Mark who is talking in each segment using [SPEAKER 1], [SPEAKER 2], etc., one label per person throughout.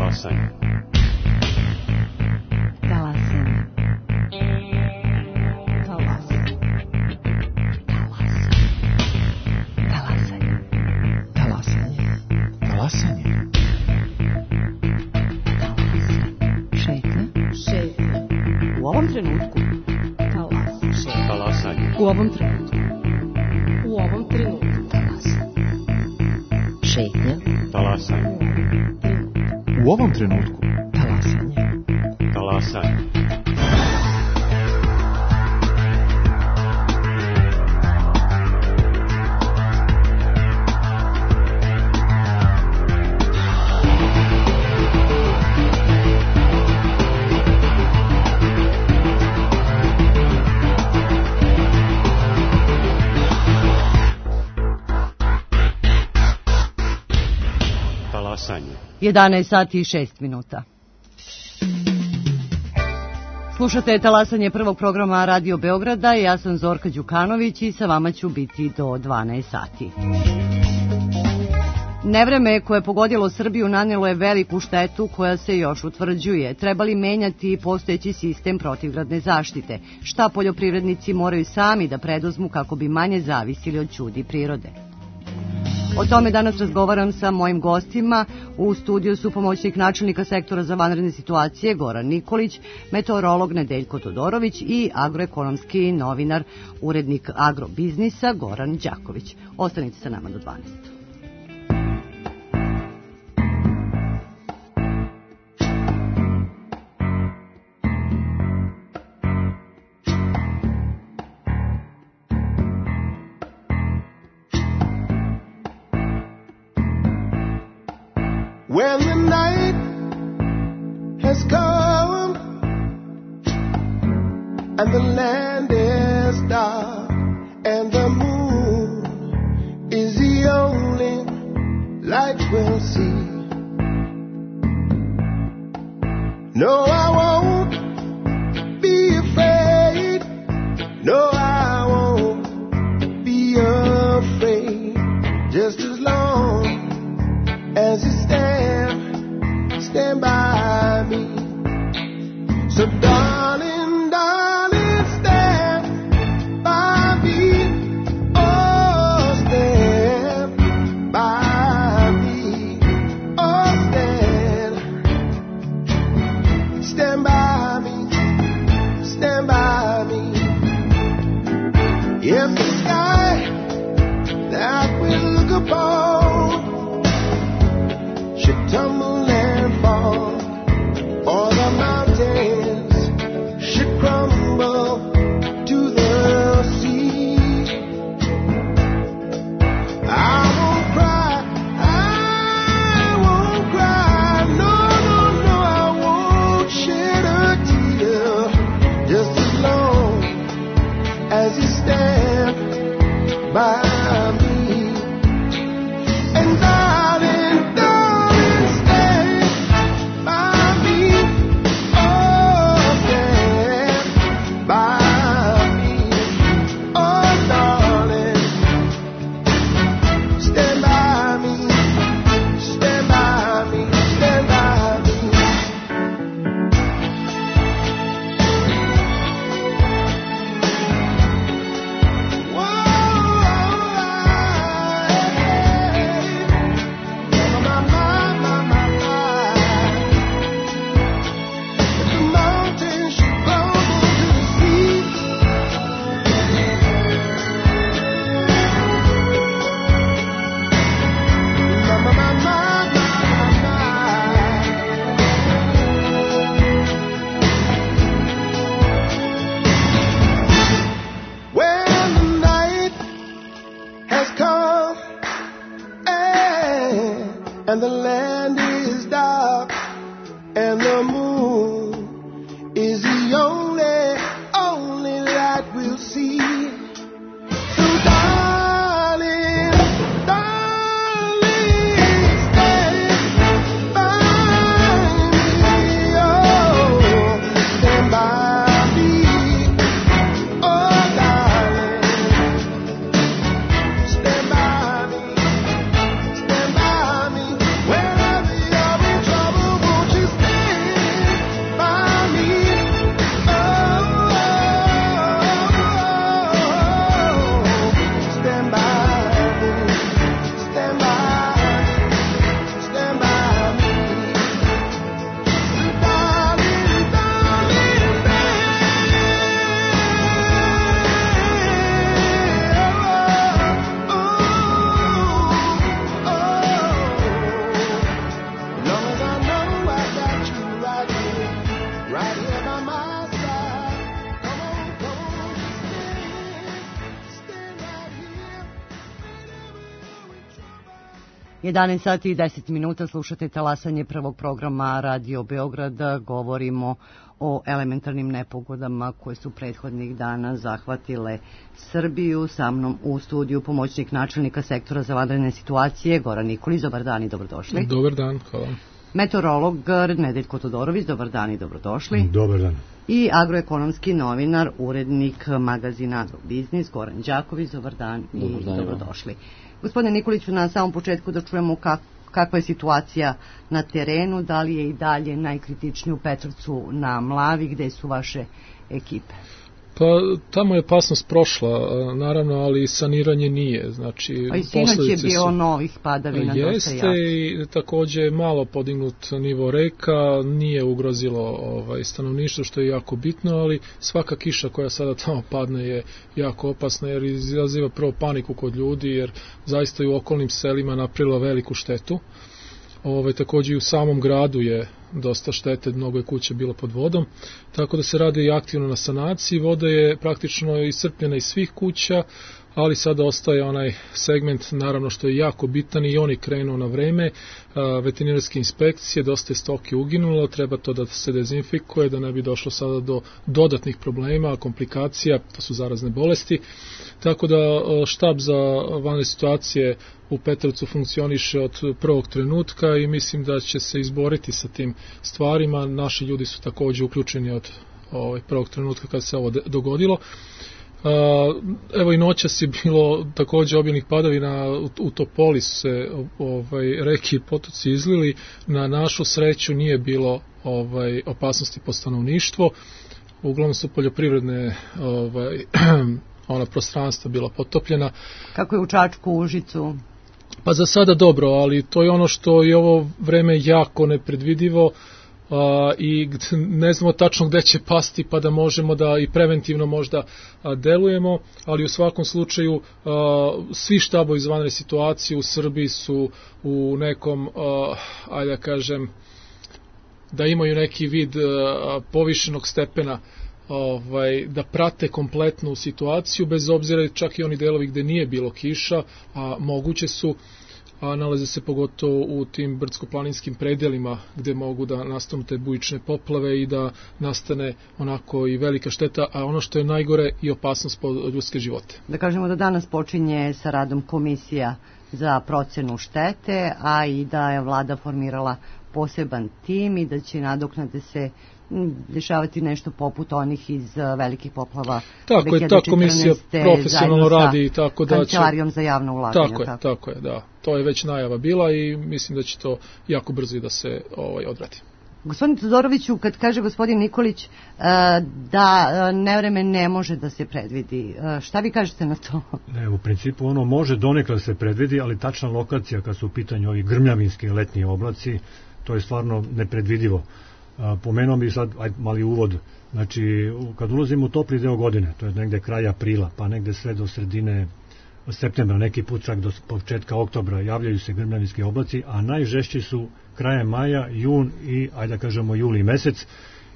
[SPEAKER 1] Talasanje.
[SPEAKER 2] Talasanje. Talasanje. Talasanje. Talasanje.
[SPEAKER 3] Talasanje.
[SPEAKER 2] Šetnja. U ovom trenutku.
[SPEAKER 1] Talasanje.
[SPEAKER 2] U ovom trenutku. U ovom trenutku. Šetnja.
[SPEAKER 1] Talasanje.
[SPEAKER 3] U ovom trenutku.
[SPEAKER 2] Talasanje.
[SPEAKER 1] Talasanje. Talasanje.
[SPEAKER 2] 11 sati i 6 minuta. Slušate Talasanje prvog programa Radio Beograda. Ja sam Zorka Đukanović i sa vama ću biti do 12 sati. Nevreme koje je pogodilo Srbiju nanelo je veliku štetu koja se još utvrđuje. Treba li menjati postojeći sistem protivgradne zaštite? Šta poljoprivrednici moraju sami da preduzmu kako bi manje zavisili od ćudi prirode? O tome danas razgovaram sa mojim gostima. U studiju su pomoćnik načelnika sektora za vanredne situacije Goran Nikolić, meteorolog Nedeljko Todorović i agroekonomski novinar, urednik agrobiznisa Goran Đaković. Ostanite sa nama do 12.
[SPEAKER 4] When the night has come and the land is dark and the moon is the only light we'll see. No, I won't be afraid. No, I won't be afraid. Just as long as you stand by me. So darling, darling, stand by me. Oh, stand by me. Oh, stand by me. Stand by me. If the sky that we look upon should tumble and fall, or the mountains should crumble to the sea, I won't cry, no, no, no, I won't shed a tear, just as long as you stand by me. And darling, darling, stand by me. Oh, stand by me. Oh, darling, stand by me. Stand by me. Stand by me. When the night has come and the land is dark and the moon is the only light we'll see. So darling, darling, stand by me. Oh, stand by me. Oh, darling, stand by me. Stand by me wherever
[SPEAKER 2] 11 sati i 10 minuta slušate talasanje prvog programa Radio Beograda. Govorimo o elementarnim nepogodama koje su prethodnih dana zahvatile Srbiju. Sa mnom u studiju pomoćnik načelnika sektora za vanredne situacije Goran Nikolić. Dobar dan i dobrodošli.
[SPEAKER 5] Dobar dan, hvala.
[SPEAKER 2] Meteorolog Nedeljko Todorović. Dobar dan i dobrodošli.
[SPEAKER 3] Dobar dan.
[SPEAKER 2] I agroekonomski novinar, urednik magazina Agrobiznis Goran Đaković. Dobar dan i dobrodošli. Gospodine Nikoliću, na samom početku da čujemo kakva je situacija na terenu, da li je i dalje najkritičnije u Petrovcu na Mlavi, gde su vaše ekipe?
[SPEAKER 5] Pa tamo je opasnost prošla, naravno, ali saniranje nije. Znači,
[SPEAKER 2] a i sinoć je bilo novih padavina dosta
[SPEAKER 5] jeste
[SPEAKER 2] jako.
[SPEAKER 5] I takođe je malo podignut nivo reka, nije ugrozilo stanovništvo, što je jako bitno, ali svaka kiša koja sada tamo padne je jako opasna, jer izaziva prvo paniku kod ljudi, jer zaista i u okolnim selima napravila veliku štetu. Takođe i u samom gradu je dosta štete, mnogo je kuća bilo pod vodom, tako da se radi i aktivno na sanaciji. Voda je praktično iscrpljena iz svih kuća, ali sada ostaje onaj segment, naravno, što je jako bitan i on je krenuo na vreme. Veterinarske inspekcije, dosta je stoke uginulo, treba to da se dezinfikuje, da ne bi došlo sada do dodatnih problema, komplikacija, to su zarazne bolesti. Tako da štab za vanredne situacije u Petrovcu funkcioniše od prvog trenutka i mislim da će se izboriti sa tim stvarima. Naši ljudi su takođe uključeni od prvog trenutka kad se ovo dogodilo. Evo i noćas je bilo takođe obilnih padavina, u Topoli su se reke i potoci izlili. Na našu sreću nije bilo opasnosti po stanovništvo. Uglavnom su poljoprivredne ona prostranstva bila potopljena.
[SPEAKER 2] Kako je u Čačku, u Užicu?
[SPEAKER 5] Pa za sada dobro, ali to je ono što je ovo vreme jako nepredvidivo i ne znamo tačno gde će pasti, pa da možemo da i preventivno možda delujemo, ali u svakom slučaju svi štabovi za vanredne situacije u Srbiji su u nekom, ajde da kažem, da imaju neki vid povišenog stepena, da prate kompletnu situaciju, bez obzira čak i oni delovi gde nije bilo kiša, a moguće su, a nalaze se pogotovo u tim brdsko-planinskim predelima gde mogu da nastanu te bujične poplave i da nastane onako i velika šteta, a ono što je najgore i opasnost po ljudske živote.
[SPEAKER 2] Da kažemo da danas počinje sa radom komisija za procenu štete, a i da je vlada formirala poseban tim i da će nadoknade se dešavati nešto poput onih iz velikih poplava 2014.
[SPEAKER 5] Tako je, ta komisija profesionalno radi, tako da će...
[SPEAKER 2] Kancelarijom za javna ulaganja.
[SPEAKER 5] Tako je, da. To je već najava bila i mislim da će to jako brzo i da se odradi.
[SPEAKER 2] Gospodin Todoroviću, kad kaže gospodin Nikolić da nevreme ne može da se predvidi, šta vi kažete na to?
[SPEAKER 6] Ne, u principu ono može donekle da se predvidi, ali tačna lokacija kad su u pitanju ovi grmljavinski letnji oblaci, to je stvarno nepredvidivo. Pomenuo bi sad mali uvod, znači kad ulazimo u topli deo godine, to je negde kraj aprila, pa negde sve do sredine septembra, neki put čak do početka oktobra javljaju se grmljavinski oblaci, a najžešći su krajem maja, jun i, ajde da kažemo, juli mesec.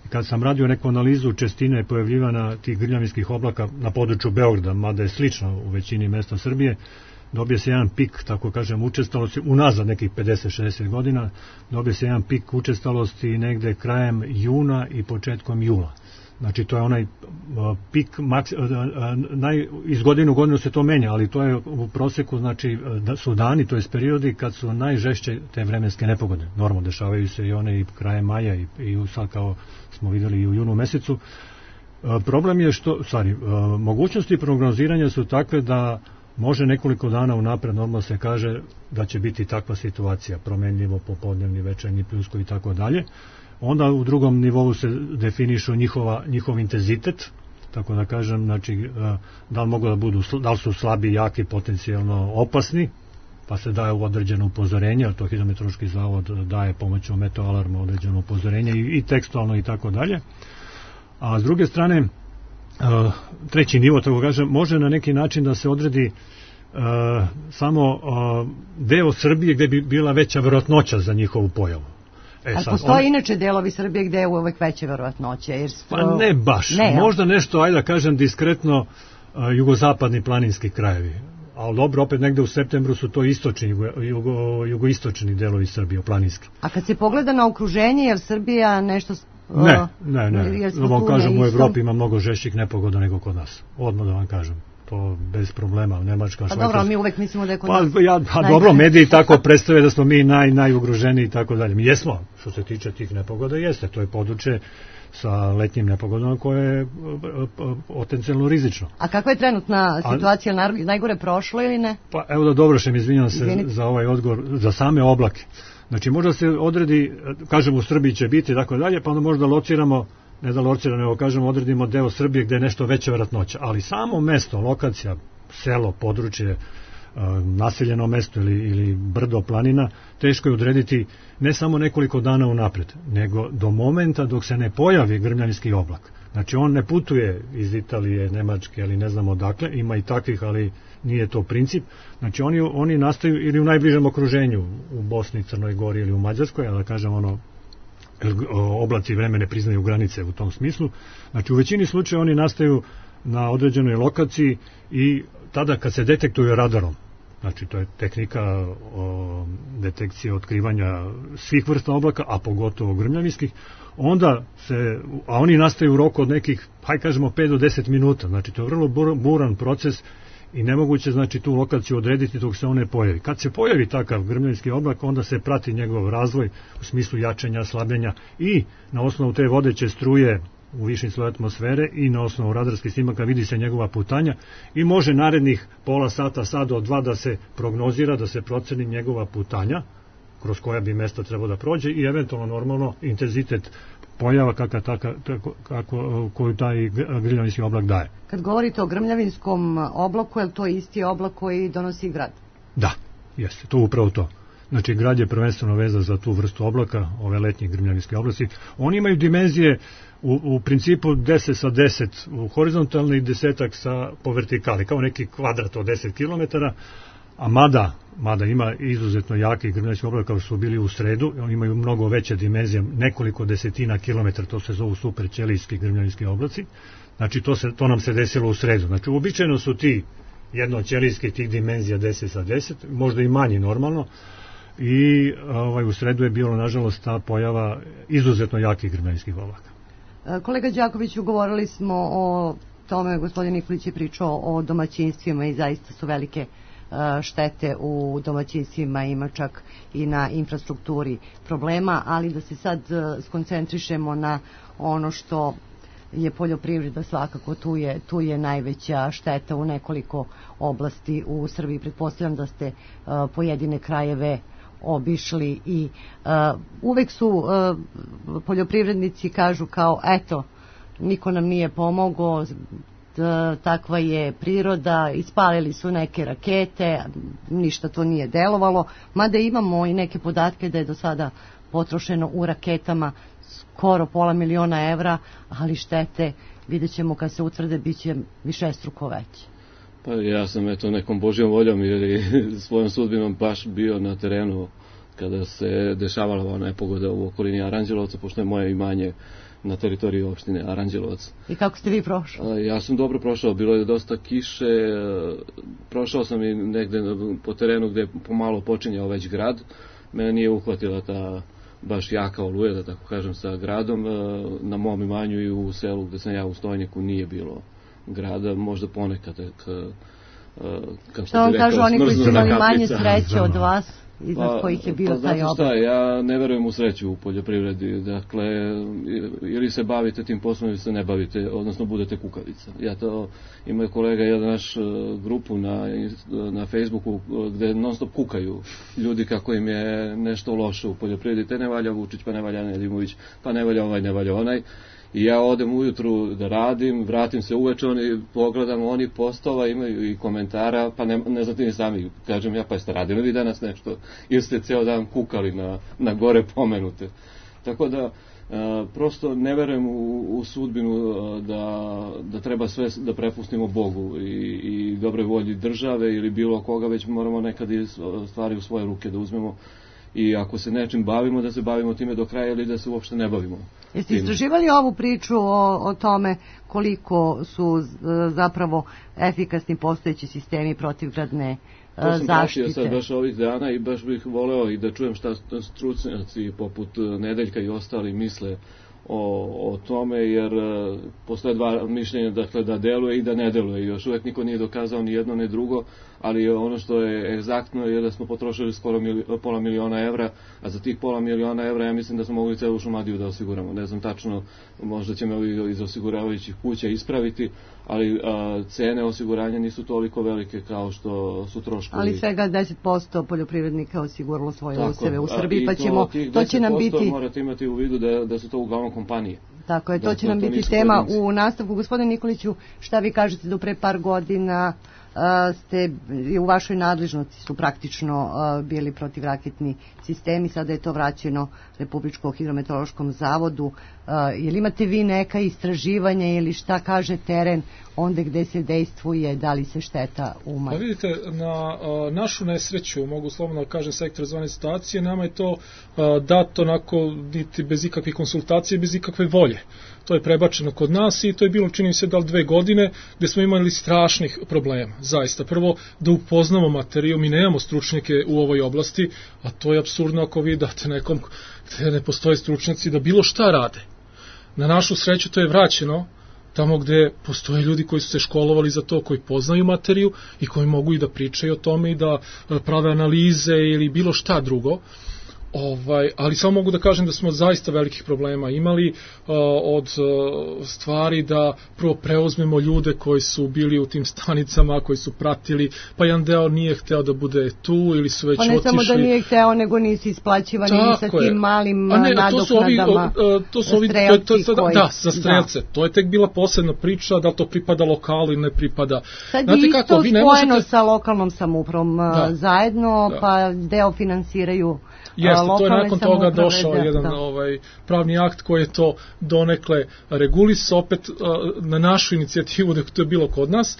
[SPEAKER 6] Kad sam radio neku analizu čestine pojavljivanja tih grmljavinskih oblaka na području Beograda, mada je slično u većini mesta Srbije, dobije se jedan pik, tako kažem, učestalosti, unazad nekih 50-60 godina, dobije se jedan pik učestalosti negde krajem juna i početkom jula. Znači, to je onaj pik, iz godine u godinu se to menja, ali to je u proseku, znači, da su dani, to je periodi kad su najžešće te vremenske nepogode. Normalno, dešavaju se i one i krajem maja i sad kao smo videli i u junu mesecu. Problem je što, mogućnosti prognoziranja su takve da može nekoliko dana unapred, normalno se kaže da će biti takva situacija, promenljivo, popodnevni, večernji, pljusko i tako dalje. Onda u drugom nivou se definišu njihov intenzitet, tako da kažem, znači, da li mogu da budu, da li su slabi, jaki, potencijalno opasni, pa se daje određeno upozorenje, a to Hidrometeorološki zavod daje pomoću meteoalarma određeno upozorenje i tekstualno i tako dalje. A s druge strane, treći nivo, tako kažem, može na neki način da se odredi samo deo Srbije gde bi bila veća verovatnoća za njihovu pojavu.
[SPEAKER 2] Ali postoje inače delovi Srbije gde je uvek veća verovatnoća?
[SPEAKER 6] Pa ne baš, možda nešto, ajde da kažem, diskretno jugozapadni planinski krajevi, ali dobro, opet negde u septembru su to istočni, jugoistočni delovi Srbije, planinski.
[SPEAKER 2] A kad se pogleda na okruženje, jer Srbija nešto...
[SPEAKER 6] Ne. Da vam kažem, u Evropi ima mnogo žešćih nepogoda nego kod nas. Odmah da vam kažem. To bez problema, Nemačka, Švajcarska.
[SPEAKER 2] Pa dobro, mi uvek mislimo da je kod nas...
[SPEAKER 6] Dobro, mediji tako predstave da smo mi najugroženiji i tako dalje. Mi jesmo, što se tiče tih nepogoda, jeste. To je područje sa letnjim nepogodama koje je potencijalno rizično.
[SPEAKER 2] A kakva je trenutna situacija? Najgore prošlo ili ne?
[SPEAKER 6] Pa evo da dovršem, izvinjam se za ovaj odgovor, za same oblake. Znači možda se odredi, kažemo u Srbiji će biti i tako dalje, pa onda možda lociramo, ne da lociramo, nego kažemo odredimo deo Srbije gde je nešto veća vjerojatnoća, ali samo mesto, lokacija, selo, područje, naseljeno mesto ili brdo, planina, teško je odrediti ne samo nekoliko dana unapred, nego do momenta dok se ne pojavi grmljavinski oblak. Znači on ne putuje iz Italije, Nemačke ili ne znam odakle, ima i takvih, ali nije to princip. Znači oni nastaju ili u najbližem okruženju, u Bosni, Crnoj Gori ili u Mađarskoj, a da kažem oblaci vreme ne priznaju granice u tom smislu. Znači u većini slučaja oni nastaju na određenoj lokaciji i tada kad se detektuju radarom, znači to je tehnika detekcije otkrivanja svih vrsta oblaka, a pogotovo grmljavinskih, onda a oni nastaju u roku od nekih, hajde kažemo 5 do 10 minuta, znači to je vrlo buran proces i nemoguće znači tu lokaciju odrediti dok se on ne pojavi. Kad se pojavi takav grmljavinski oblak, onda se prati njegov razvoj u smislu jačanja, slabljenja i na osnovu te vodeće struje u višim sloju atmosfere i na osnovu radarskih snimaka vidi se njegova putanja i može narednih pola sata, sat do 2 da se prognozira, da se proceni njegova putanja kroz koja bi mesta trebao da prođe i eventualno normalno intenzitet pojava koju taj grmljavinski oblak daje.
[SPEAKER 2] Kad govorite o grmljavinskom oblaku, je li to isti oblak koji donosi grad?
[SPEAKER 6] Da, jeste, to upravo to. Znači grad je prvenstveno veza za tu vrstu oblaka, ove letnje grmljavinske oblasti. Oni imaju dimenzije u principu 10 sa 10 u horizontalni i 10 po vertikali, kao neki kvadrat od 10 km, a mada ima izuzetno jaki grmljavinski oblak kao su bili u sredu, oni imaju mnogo veće dimenzije, nekoliko desetina kilometara, to se zovu superćelijski grmljavinski oblaci, znači to nam se desilo u sredu. Znači uobičajeno su ti jednoćelijski tih dimenzija 10 sa 10, možda i manji normalno, i u sredu je bilo nažalost ta pojava izuzetno jakih grmljavinskih oblaka.
[SPEAKER 2] Kolega Đakoviću, govorili smo o tome, gospodin Nikolić je pričao o domaćinstvima i zaista su velike štete u domaćinstvima, ima čak i na infrastrukturi problema, ali da se sad skoncentrišemo na ono što je poljoprivreda, svakako tu je najveća šteta u nekoliko oblasti u Srbiji. Pretpostavljam da ste pojedine krajeve obišli i uvek su poljoprivrednici kažu kao eto, niko nam nije pomogao, takva je priroda, ispalili su neke rakete, ništa to nije delovalo, mada imamo i neke podatke da je do sada potrošeno u raketama skoro $500.000, ali štete, vidjet ćemo kad se utvrde, bit će višestruko veće.
[SPEAKER 7] Pa ja sam nekom božjom voljom ili svojom sudbinom baš bio na terenu kada se dešavala ova nepogoda u okolini Aranđelovca, pošto je moje imanje na teritoriji opštine Aranđelovac.
[SPEAKER 2] I kako ste vi prošli?
[SPEAKER 7] Ja sam dobro prošao, bilo je dosta kiše, prošao sam i negde po terenu gde pomalo počinjao već grad, mene nije uhvatila ta baš jaka oluja, da tako kažem, sa gradom. Na mom imanju i u selu gde sam ja u Stojniku nije bilo grada, možda ponekad
[SPEAKER 2] što vam kažu oni koji su imali manje sreće od vas, iznad kojih je bio taj oblak?
[SPEAKER 7] Šta, ja ne verujem u sreću u poljoprivredi, dakle ili se bavite tim poslom ili se ne bavite, odnosno budete kukavica. Ima kolega jedan naš grupu na Facebooku gde non stop kukaju ljudi kako im je nešto loše u poljoprivredi, te ne valja Vučić, pa ne valja Nedimović, pa ne valja ovaj, ne valja onaj. I ja odem ujutru da radim, vratim se uveče, pogledam, oni postova imaju i komentara, pa ne znate ni sami, kažem ja, pa jeste radili vi danas nešto, ili ste ceo dan kukali na gore pomenute. Tako da, prosto ne verujem u sudbinu da treba sve da prepustimo Bogu i dobroj volji države ili bilo koga, već moramo nekad stvari u svoje ruke da uzmemo i ako se nečim bavimo, da se bavimo time do kraja ili da se uopšte ne bavimo.
[SPEAKER 2] Jeste istraživali ovu priču o tome koliko su zapravo efikasni postojeći sistemi protivgradne
[SPEAKER 7] zaštite? To sam pratio
[SPEAKER 2] sad
[SPEAKER 7] baš ovih dana i baš bih voleo i da čujem šta stručnjaci poput Nedeljka i ostali misle o tome, jer postoje dva mišljenja, dakle, da deluje i da ne deluje. Još uvek niko nije dokazao ni jedno ni drugo, ali ono što je egzaktno je da smo potrošili skoro pola miliona evra, a za tih pola miliona evra ja mislim da smo mogli celu Šumadiju da osiguramo. Ne znam tačno, možda će me ovi iz osiguravajućih kuća ispraviti, ali cene osiguranja nisu toliko velike kao što su troškovi.
[SPEAKER 2] Ali svega 10% poljoprivrednika osiguralo svoje useve u Srbiji, pa ćemo, to će nam biti...
[SPEAKER 7] morate imati u vidu da su to uglavnom kompanije.
[SPEAKER 2] Tako je, to će nam biti tema u nastavku. Gospodine Nikoliću, šta vi kažete, do pre par godina ste u vašoj nadležnosti su praktično bili protivraketni sistemi, sada je to vraćeno Republičkom hidrometeorološkom zavodu. Jel imate vi neka istraživanja ili šta kaže teren onda gde se dejstvuje, da li se šteta umanji?
[SPEAKER 5] Pa vidite, na našu nesreću, mogu slobodno da kažem, sektor zvane situacije, nama je to dato onako niti bez ikakvih konsultacije, bez ikakve volje. To je prebačeno kod nas i to je bilo, čini mi se, da li 2 godine, gde smo imali strašnih problema. Zaista, prvo da upoznamo materiju, mi nemamo stručnjake u ovoj oblasti, a to je apsurdno ako vi date nekom gde ne postoje stručnjaci da bilo šta rade. Na našu sreću to je vraćeno tamo gde postoje ljudi koji su se školovali za to, koji poznaju materiju i koji mogu i da pričaju o tome i da prave analize ili bilo šta drugo. Ali samo mogu da kažem da smo zaista velikih problema imali od stvari da prvo preuzmemo ljude koji su bili u tim stanicama, koji su pratili, pa jedan deo nije hteo da bude tu ili su već otišli.
[SPEAKER 2] Pa ne samo da nije hteo, nego nisu isplaćivani ni sa tim malim nadoknadama strelci koji...
[SPEAKER 5] Da, za strelce. To je tek bila posebna priča, da li to pripada lokalu ili ne pripada.
[SPEAKER 2] Sad je isto spojeno sa lokalnom samoupravom zajedno, pa deo finansiraju.
[SPEAKER 5] Jeste, to je nakon toga došao jedan pravni akt koji je to donekle regulisao, opet na našu inicijativu da to je bilo kod nas.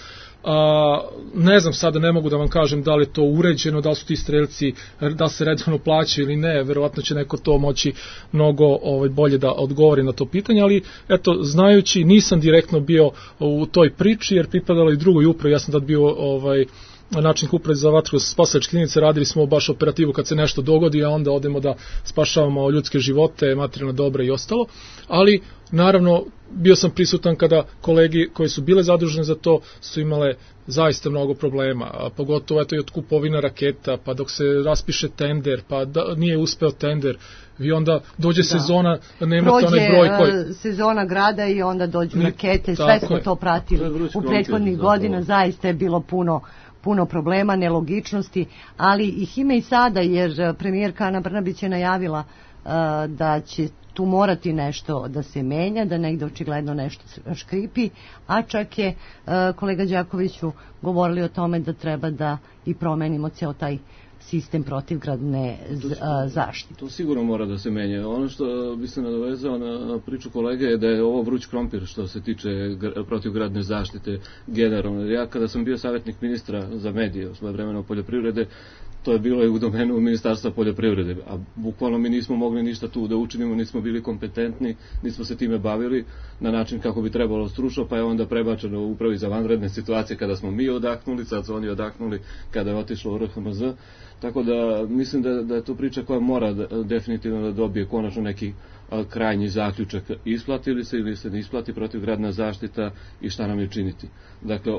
[SPEAKER 5] Ne znam, sada ne mogu da vam kažem da li je to uređeno, da li su ti strelci, da li se redovno plaćaju ili ne, verovatno će neko to moći mnogo bolje da odgovori na to pitanje, ali eto, znajući, nisam direktno bio u toj priči jer pripadalo i drugoj upravi, ja sam tad bio načelnik uprave za vatrogasne spasilačke jedinice, radili smo baš operativu kad se nešto dogodi, a onda odemo da spašavamo ljudske živote, materijalna dobra i ostalo, ali naravno bio sam prisutan kada kolegi koji su bile zadužene za to su imale zaista mnogo problema, a pogotovo eto i od kupovina raketa, pa dok se raspiše tender, pa nije uspeo tender, i onda dođe sezona, nemate onaj broj koji...
[SPEAKER 2] Prođe sezona grada i onda dođu rakete, sve smo to pratili u prethodnih godina, zaista je bilo puno problema, nelogičnosti, ali ih ima i sada, jer premijerka Ana Brnabić je najavila da će tu morati nešto da se menja, da negde očigledno nešto škripi, a čak je kolega Đakoviću govorili o tome da treba da i promenimo ceo taj sistem protivgradne zaštite.
[SPEAKER 7] To sigurno mora da se menja. Ono što bi se nadovezao na priču kolege je da je ovo vruć krompir što se tiče protivgradne zaštite generalno. Ja kada sam bio savjetnik ministra za medije u svoje vremeno poljoprivrede, to je bilo i u domenu Ministarstva poljoprivrede, a bukvalno mi nismo mogli ništa tu da učinimo, nismo bili kompetentni, nismo se time bavili na način kako bi trebalo stručno, pa je onda prebačeno u upravi za vanredne situacije kada smo mi odahnuli, sad su oni odahnuli kada je otišlo u RHMZ, tako da mislim da je to priča koja mora definitivno da dobije konačno neki krajnji zaključak, isplati li se ili se ne isplati protivgradna zaštita i šta nam je činiti. Dakle,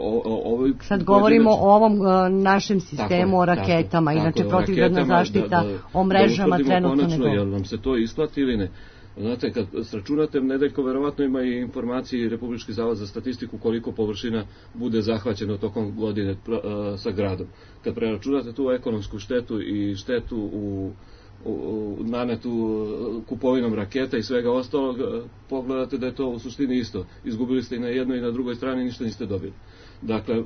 [SPEAKER 2] sad govorimo o ovom našem sistemu, o raketama, inače protivgradna zaštita, o mrežama trenutno ne govorimo.
[SPEAKER 7] Jel nam se to isplati ili ne? Znate, kad sračunate, Nedeljko verovatno ima i informacije Republički zavod za statistiku koliko površina bude zahvaćeno tokom godine sa gradom. Kad preračunate tu ekonomsku štetu i štetu u nanetu kupovinom raketa i svega ostalog, pogledate da je to u suštini isto. Izgubili ste i na jednoj i na drugoj strani, ništa niste dobili. Dakle,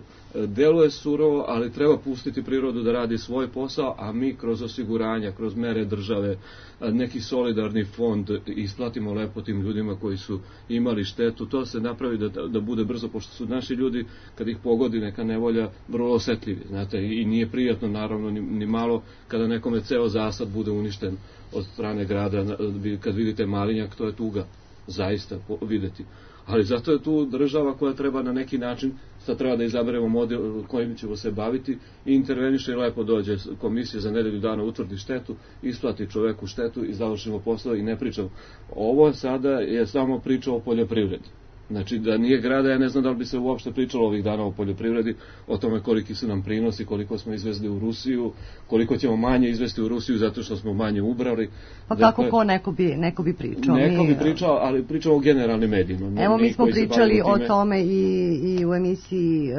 [SPEAKER 7] deluje surovo, ali treba pustiti prirodu da radi svoj posao, a mi kroz osiguranja, kroz mere države, neki solidarni fond isplatimo lepo tim ljudima koji su imali štetu. To se napravi da bude brzo, pošto su naši ljudi, kad ih pogodi neka nevolja, vrlo osetljivi. Znate, i nije prijatno, naravno, ni malo, kada nekome ceo zasad bude uništen od strane grada. Kad vidite malinjak, to je tuga, zaista videti. Ali zato je tu država koja treba na neki način, sad treba da izaberemo model kojim ćemo se baviti, i interveniše i lepo dođe komisija za nedelju dana, utvrdi štetu, isplati čoveku štetu i završimo posao i ne pričamo. Ovo sada je samo priča o poljoprivredi. Znači, da nije grada, ja ne znam da li bi se uopšte pričalo ovih dana o poljoprivredi, o tome koliki su nam prinosi, koliko smo izvezli u Rusiju, koliko ćemo manje izvesti u Rusiju zato što smo manje ubrali.
[SPEAKER 2] Pa kako ko neko bi pričao?
[SPEAKER 7] Neko bi pričao, ali pričao o generalnim medijima.
[SPEAKER 2] Evo, mi smo pričali o tome i u emisiji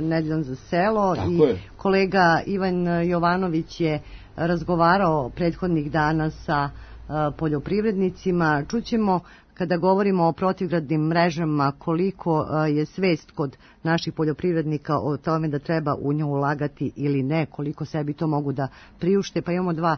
[SPEAKER 2] Nedeljom za selo.
[SPEAKER 7] Tako
[SPEAKER 2] i
[SPEAKER 7] je.
[SPEAKER 2] Kolega Ivan Jovanović je razgovarao prethodnih dana sa poljoprivrednicima. Čućemo, kada govorimo o protivgradnim mrežama, koliko je svest kod naših poljoprivrednika o tome da treba u nju ulagati ili ne, koliko sebi to mogu da priušte. Pa imamo dva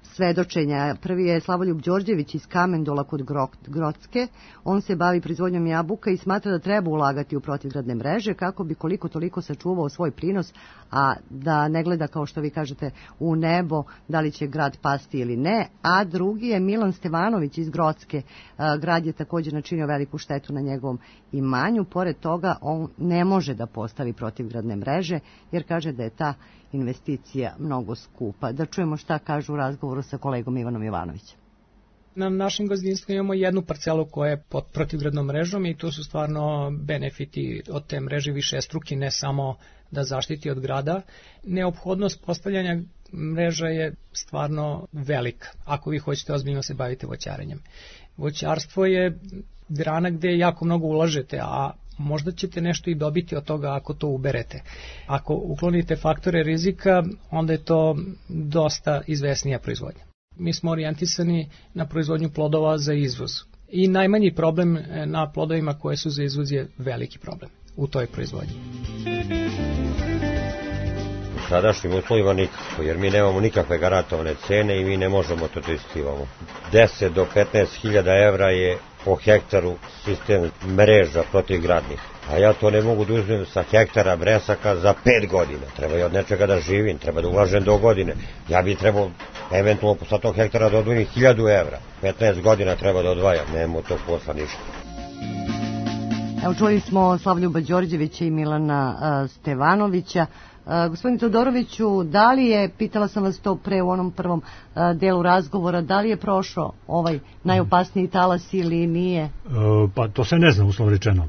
[SPEAKER 2] svedočenja. Prvi je Slavoljub Đorđević iz Kamendola kod Grocke. On se bavi proizvodnjom jabuka i smatra da treba ulagati u protivgradne mreže kako bi koliko toliko sačuvao svoj prinos, a da ne gleda, kao što vi kažete, u nebo da li će grad pasti ili ne. A drugi je Milan Stevanović iz Grocke. Grad je također načinio veliku štetu na njegovom imanju. Pored toga, on ne može da postavi protivgradne mreže jer kaže da je ta investicija mnogo skupa. Da čujemo šta kažu u razgovoru sa kolegom Ivanom Jovanovićem.
[SPEAKER 8] Na našem gazdinstvu imamo jednu parcelu koja je pod protivgradnom mrežom i tu su stvarno benefiti od te mreže višestruki, ne samo da zaštiti od grada. Neophodnost postavljanja mreža je stvarno velika, ako vi hoćete ozbiljno se bavite voćarenjem. Voćarstvo je grana gde jako mnogo ulažete, a možda ćete nešto i dobiti od toga ako to uberete. Ako uklonite faktore rizika, onda je to dosta izvesnija proizvodnja. Mi smo orijentisani na proizvodnju plodova za izvoz. I najmanji problem na plodovima koje su za izvoz je veliki problem u toj proizvodnji.
[SPEAKER 9] U sadašnjim uslovima nikako, jer mi nemamo nikakve garantovane cene i mi ne možemo to testirati. 10 do 15 hiljada evra je po hektaru sistem mreža protivgradnih. A ja to ne mogu da uzmem sa hektara bresaka za 5 godina. Treba i od nečega da živim, treba da ulažem do godine. Ja bi trebao eventualno sa tog hektara da odvojim 1000 evra. 15 godina treba da odvajam, nemamo tog posla ništa.
[SPEAKER 2] Evo, čuli smo Slavljuba Đorđevića i Milana Stevanovića. Gospodin Todoroviću, da li je, pitala sam vas to pre u onom prvom delu razgovora, da li je prošao ovaj najopasniji talas ili nije?
[SPEAKER 6] Pa to se ne zna, uslovno rečeno.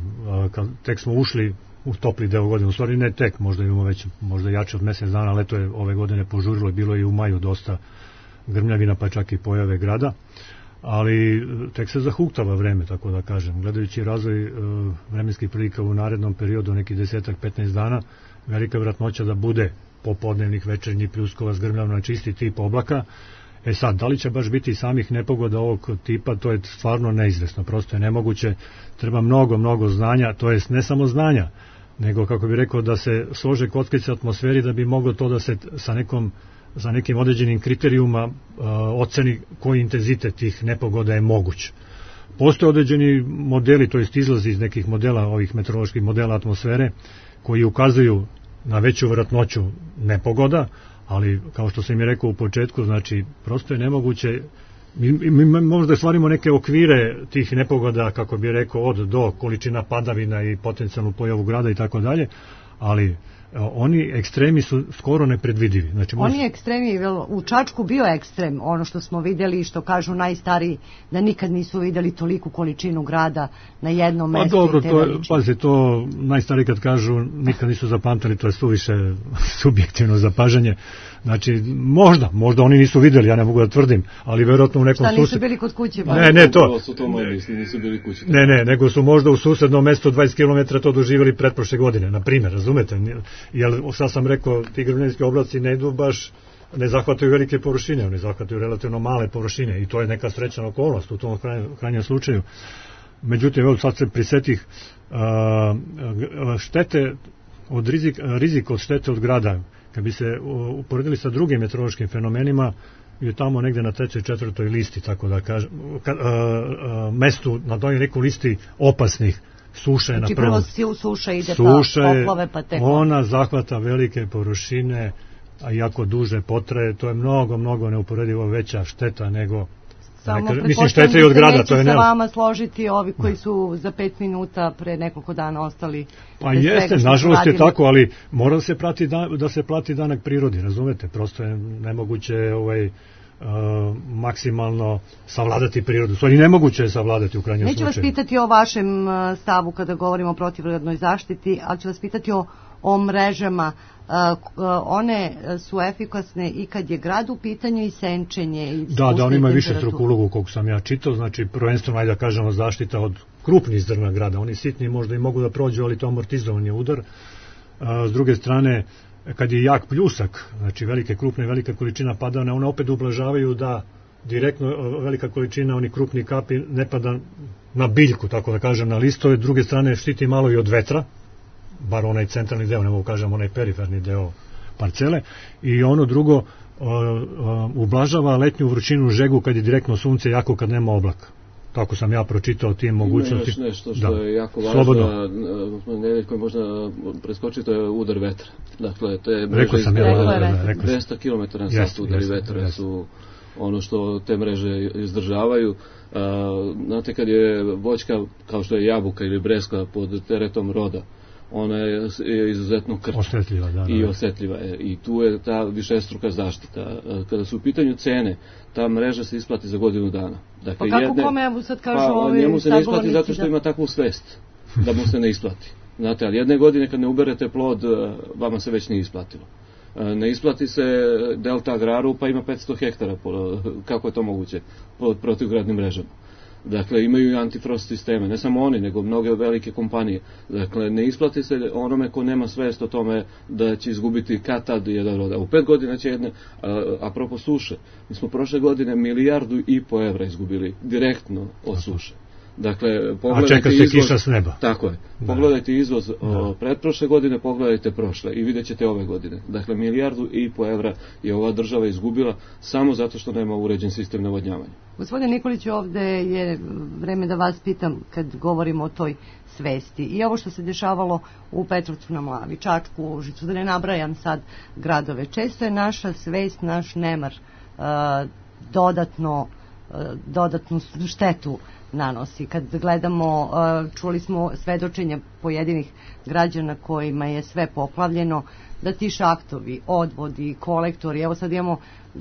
[SPEAKER 6] Tek smo ušli u topli deo godine, u stvari ne tek, možda imamo već možda jače od mesec dana, leto je ove godine požurilo, bilo je i u maju dosta grmljavina, pa čak i pojave grada, ali tek se zahuktava vreme, tako da kažem. Gledajući razvoj vremenskih prilika u narednom periodu, neki 10-15 dana, velika vjerojatnoća da bude popodnevnih, večernjih pljuskova s grmljavina, čisti tip oblaka. Sad, da li će baš biti samih nepogoda ovog tipa, to je stvarno neizvesno, prosto je nemoguće, treba mnogo znanja, to jest ne samo znanja, nego, kako bi rekao, da se slože kockice atmosferi da bi moglo to da se sa nekim određenim kriterijuma oceni koji intenzitet tih nepogoda je moguć. Postoje određeni modeli, to jest izlazi iz nekih modela, ovih meteoroloških modela atmosfere, koji ukazuju na veću vjerojatnoću nepogoda, ali kao što sam i rekao u početku, znači prosto je nemoguće, mi možda stvarimo neke okvire tih nepogoda, kako bi rekao, od do količina padavina i potencijalnu pojavu grada i tako dalje, ali oni ekstremi su skoro nepredvidivi. Znači,
[SPEAKER 2] oni ekstremi, u Čačku bio ekstrem, ono što smo vidjeli, što kažu najstariji, da nikad nisu vidjeli toliku količinu grada na jednom mestu.
[SPEAKER 6] Dobro, pazite, to najstariji kad kažu nikad nisu zapamtili, to je suviše subjektivno zapažanje. Znači, možda oni nisu vidjeli, ja ne mogu da tvrdim, ali verovatno u nekom
[SPEAKER 2] susjednom... Šta, nisu bili kod kuće?
[SPEAKER 6] Ne, to...
[SPEAKER 7] Nisu bili kuće.
[SPEAKER 6] Ne, nego su možda u susednom mestu 20 km to doživjeli pretprošle godine, na primjer, razumete? Jer, sad sam rekao, ti grmljanski oblaci ne idu baš, ne zahvataju velike površine, oni zahvataju relativno male površine i to je neka srećna okolnost u tom krajnjem slučaju. Međutim, evo sad se prisetih štete od rizik od štete od grada. Kad bi se uporedili sa drugim meteorološkim fenomenima, je tamo negde na 3. 4. listi, tako da kažem, mestu na toj nekoj listi opasnih. Suša je na prvom.
[SPEAKER 2] Znači prvo suša ide pa poplave pa tek.
[SPEAKER 6] Ona zahvata velike površine, a jako duže potraje, to je mnogo neuporedivo veća šteta nego mislim šteta i od grada, to je
[SPEAKER 2] neće sa vama složiti ovi koji su za 5 minuta pre nekoliko dana ostali.
[SPEAKER 6] Pa jeste, nažalost je tako, ali mora da se plati danak prirodi, razumete, prosto je nemoguće maksimalno savladati prirodu. Stvari nemoguće je savladati u krajnjem slučaju.
[SPEAKER 2] Neću vas pitati o vašem stavu kada govorimo o protivgradnoj zaštiti, ali ću vas pitati o mrežama. One su efikasne i kad je grad u pitanju i senčenje.
[SPEAKER 6] Da, oni imaju više struku ulogu koliko sam ja čitao, znači prvenstveno da kažemo zaštita od krupnih zrna grada. Oni sitni možda i mogu da prođu, ali to amortizovan je udar. S druge strane, kad je jak pljusak, znači velika količina padavina, one opet ublažavaju da direktno velika količina onih krupnih kapi ne pada na biljku, tako da kažem, na listove. S druge strane štiti malo i od vetra, bar onaj centralni deo, ne mogu kažem onaj periferni deo parcele, i ono drugo ublažava letnju vrućinu, žegu kad je direktno sunce, jako kad nema oblaka. Tako sam ja pročitao tim mogućnosti.
[SPEAKER 7] Ima još nešto što je jako važno, Nedeljko je možda preskočiti, to je udar vetra. Dakle, te mreže 200 km na sat udari vetra su ono što te mreže izdržavaju. Znate, kad je voćka, kao što je jabuka ili breska pod teretom roda, ona je izuzetno krčka i osjetljiva je. I tu je ta višestruka zaštita. Kada su u pitanju cene, ta mreža se isplati za godinu dana. Dakle,
[SPEAKER 2] pa kako kome sad kažu ovi
[SPEAKER 7] njemu se ne isplati zato što ima takvu svest da mu se ne isplati. Znate, ali jedne godine kad ne uberete plod, vama se već nije isplatilo. Ne isplati se Delta Agraru, pa ima 500 hektara. Kako je to moguće pod protivgradnim mrežama? Dakle, imaju i antifrost sisteme, ne samo oni, nego mnoge velike kompanije. Dakle, ne isplati se onome ko nema svest o tome da će izgubiti kad-tad jedan rod. U 5 godina će jedne, apropo suše, mi smo prošle godine 1,5 milijardu evra izgubili direktno od suše. Dakle,
[SPEAKER 6] a čeka se kiša s neba.
[SPEAKER 7] Tako je. Pogledajte izvoz pretprošle godine, pogledajte prošle i vidjet ćete ove godine. Dakle, 1,5 milijardu evra je ova država izgubila samo zato što nema uređen sistem navodnjavanja.
[SPEAKER 2] Gospodine Nikoliću, ovde je vreme da vas pitam kad govorimo o toj svesti. I ovo što se dešavalo u Petrovcu na Mlavi, Čačku, Užicu, da ne nabrajam sad gradove. Često je naša svest, naš nemar dodatnu štetu nanosi. Kad gledamo, čuli smo svedočenja pojedinih građana kojima je sve poplavljeno, da ti šahtovi, odvodi, kolektori, evo sad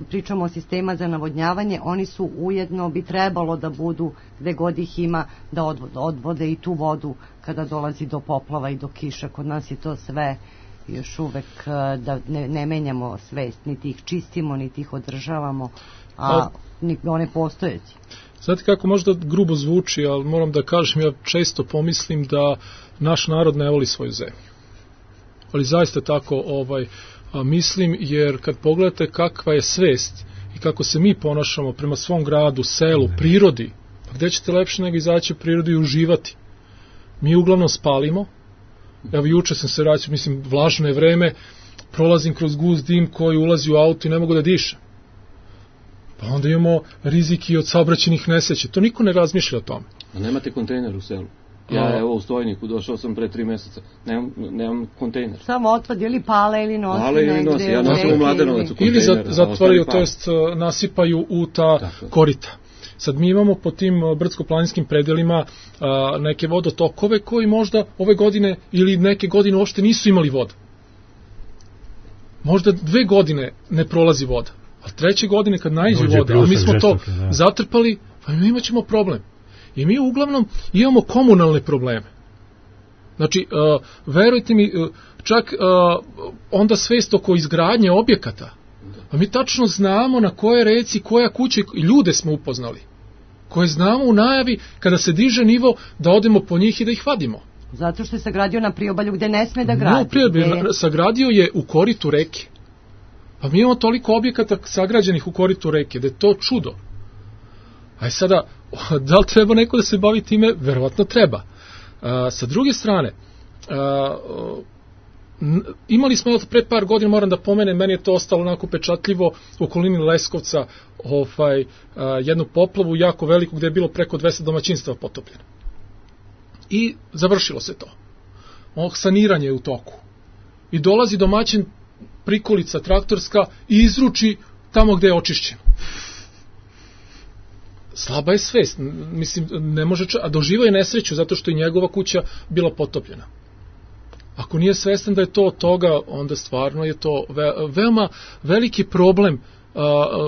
[SPEAKER 2] pričamo o sistema za navodnjavanje, oni su ujedno, bi trebalo da budu, gde god ih ima, da odvode i tu vodu kada dolazi do poplava i do kiša. Kod nas je to sve još uvek da ne menjamo svest, niti ih čistimo, niti ih održavamo, a one postojeći.
[SPEAKER 5] Znate kako možda grubo zvuči, ali moram da kažem, ja često pomislim da naš narod ne voli svoju zemlju. Ali zaista tako mislim, jer kad pogledate kakva je svest i kako se mi ponašamo prema svom gradu, selu, prirodi, pa gde ćete lepše nego izaći u prirodu i uživati? Mi uglavnom spalimo. Evo, juče sam se vraćao, mislim, vlažno je vreme, prolazim kroz gust dim koji ulazi u auto i ne mogu da dišem. Pa onda imamo riziki od saobraćajnih nesreća. To niko ne razmišlja o tome.
[SPEAKER 7] A nemate kontejner u selu? Ja evo u Stojniku došao sam pre 3 meseca. Nemam kontejner.
[SPEAKER 2] Samo otpad ili pale ili nosi.
[SPEAKER 7] Pale ili nosi, ja nosim u Mladenovac u kontejner.
[SPEAKER 5] Ili zatvaraju, to jest nasipaju u ta korita. Sad mi imamo po tim brdsko-planinskim predelima neke vodotokove koji možda ove godine ili neke godine uopšte nisu imali voda. Možda 2 godine ne prolazi voda. A 3. godine kad naiđe voda, a mi smo to zatrpali, pa imat ćemo problem. I mi uglavnom imamo komunalne probleme. Znači, verujte mi, čak onda svest oko izgradnje objekata, a mi tačno znamo na koje reci, koja kuća, i ljude smo upoznali, koje znamo u najavi kada se diže nivo da odemo po njih i da ih vadimo.
[SPEAKER 2] Zato što je sagradio na priobalju gde ne sme da gradi.
[SPEAKER 5] Sagradio je u koritu reke. Pa mi imamo toliko objekata sagrađenih u koritu reke, da je to čudo. Aj sada, da li treba neko da se bavi time? Verovatno treba. Sa druge strane, imali smo pre par godina, moram da pomenem, meni je to ostalo onako pečatljivo, u okolini Leskovca, jednu poplavu jako veliku gde je bilo preko 200 domaćinstava potopljeno. I završilo se to. Saniranje je u toku. I dolazi domaćin, prikolica traktorska i izruči tamo gde je očišćeno. Slaba je svest, mislim, ne može, a doživao je nesreću zato što je njegova kuća bila potopljena. Ako nije svestan da je to od toga, onda stvarno je to veoma veliki problem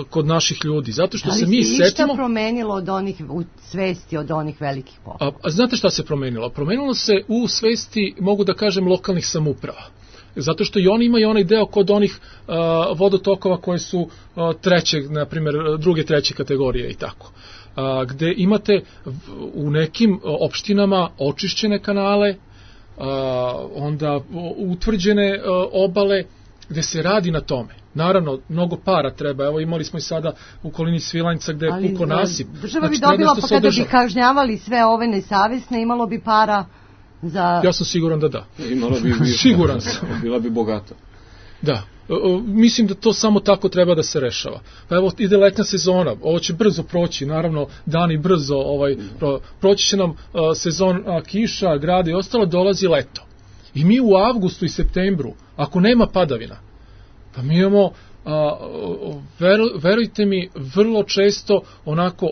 [SPEAKER 5] kod naših ljudi, zato što se mi setimo... Ali se išta
[SPEAKER 2] promenilo od onih, u svesti od onih velikih poplava?
[SPEAKER 5] Znate šta se promenilo? Promenilo se u svesti, mogu da kažem, lokalnih samouprava. Zato što i oni imaju onaj deo kod onih vodotokova koje su na primjer, druge, treće kategorije i tako. Gde imate u nekim opštinama očišćene kanale, onda utvrđene obale, gde se radi na tome. Naravno, mnogo para treba. Evo, imali smo i sada u okolini Svilajnca gde je puko nasip.
[SPEAKER 2] Država bi dobila, pa kada bi kažnjavali sve ove nesavesne, imalo bi para za...
[SPEAKER 5] Ja sam siguran da da.
[SPEAKER 7] Imalo bi
[SPEAKER 5] siguran sam.
[SPEAKER 7] Bila bi bogata.
[SPEAKER 5] Da. Mislim da to samo tako treba da se rešava. Pa evo, ide letnja sezona, ovo će brzo proći, naravno, dani brzo, proći će nam sezon kiša, grada i ostalo, dolazi leto. I mi u avgustu i septembru, ako nema padavina, pa mi imamo, verujte mi, vrlo često onako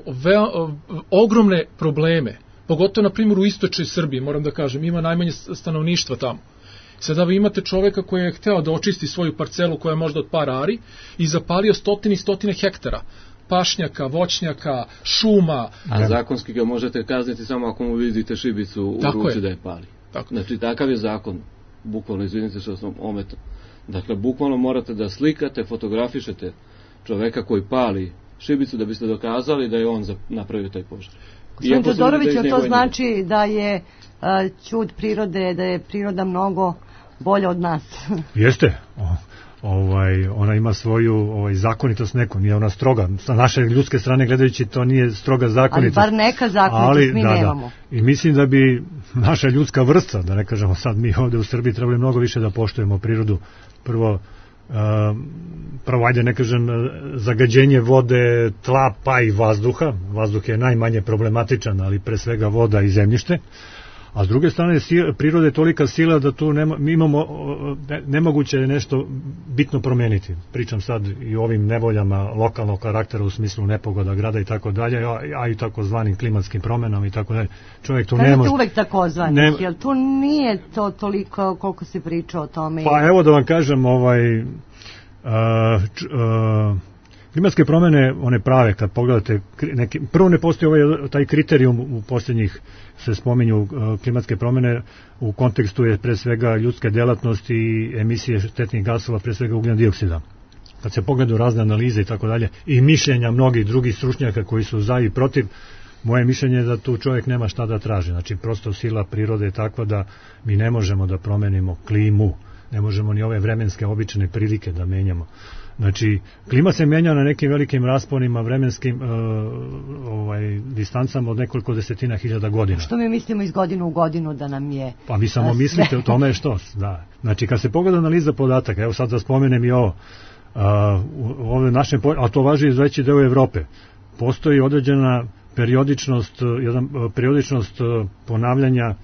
[SPEAKER 5] ogromne probleme, pogotovo na primjer u istočnoj Srbiji, moram da kažem, ima najmanje stanovništva tamo. Sada vi imate čoveka koji je hteo da očisti svoju parcelu koja je možda od par ari i zapalio stotine i stotine hektara pašnjaka, voćnjaka, šuma.
[SPEAKER 7] A zakonski ga možete kazniti samo ako mu vidite šibicu u ruci da je pali. Znači takav je zakon, bukvalno, izvinite što sam ometao. Dakle, bukvalno morate da slikate, fotografišete čoveka koji pali šibicu da biste dokazali da je on napravio taj požar.
[SPEAKER 2] Gospodin Todorović, to znači da je ćud prirode, da je priroda mnogo bolja od nas.
[SPEAKER 6] Jeste. Ona ima svoju zakonitost neku, nije ona stroga. Sa naše ljudske strane gledajući to nije stroga zakonitost.
[SPEAKER 2] Ali bar neka zakonitost mi nemamo.
[SPEAKER 6] I mislim da bi naša ljudska vrsta, da ne kažemo sad mi ovde u Srbiji, trebali mnogo više da poštujemo prirodu. Prvo, ajde ne kažem, zagađenje vode, tla, pa i vazduha. Vazduh je najmanje problematičan, ali pre svega voda i zemljište. A s druge strane, priroda je tolika sila da tu mi imamo, nemoguće je nešto bitno promeniti. Pričam sad i o ovim nevoljama lokalnog karaktera u smislu nepogoda grada i tako dalje, a i takozvanim klimatskim promenama i tako dalje. Čovjek tu ne može...
[SPEAKER 2] uvek takozvanih, jer tu nije to toliko koliko se priča o tome.
[SPEAKER 6] Pa evo da vam kažem, klimatske promene, one prave, kad pogledate, prvo ne postoji taj kriterijum u posljednjih, se spominju klimatske promene, u kontekstu je pre svega ljudske delatnosti i emisije štetnih gasova, pre svega ugljen dioksida. Kad se pogledaju razne analize i tako dalje, i mišljenja mnogih drugih stručnjaka koji su za i protiv, moje mišljenje je da tu čovjek nema šta da traži. Znači, prosto sila prirode je takva da mi ne možemo da promenimo klimu, ne možemo ni ove vremenske obične prilike da menjamo. Znači, klima se menja na nekim velikim rasponima, vremenskim distancama od nekoliko desetina hiljada godina.
[SPEAKER 2] Što mi mislimo iz godinu u godinu da nam je...
[SPEAKER 6] Pa vi samo mislite o tome što. Da. Znači, kad se pogleda analiza podataka, evo sad da spomenem i ovo, u našem, a to važi iz veći deo Evrope, postoji određena periodičnost ponavljanja,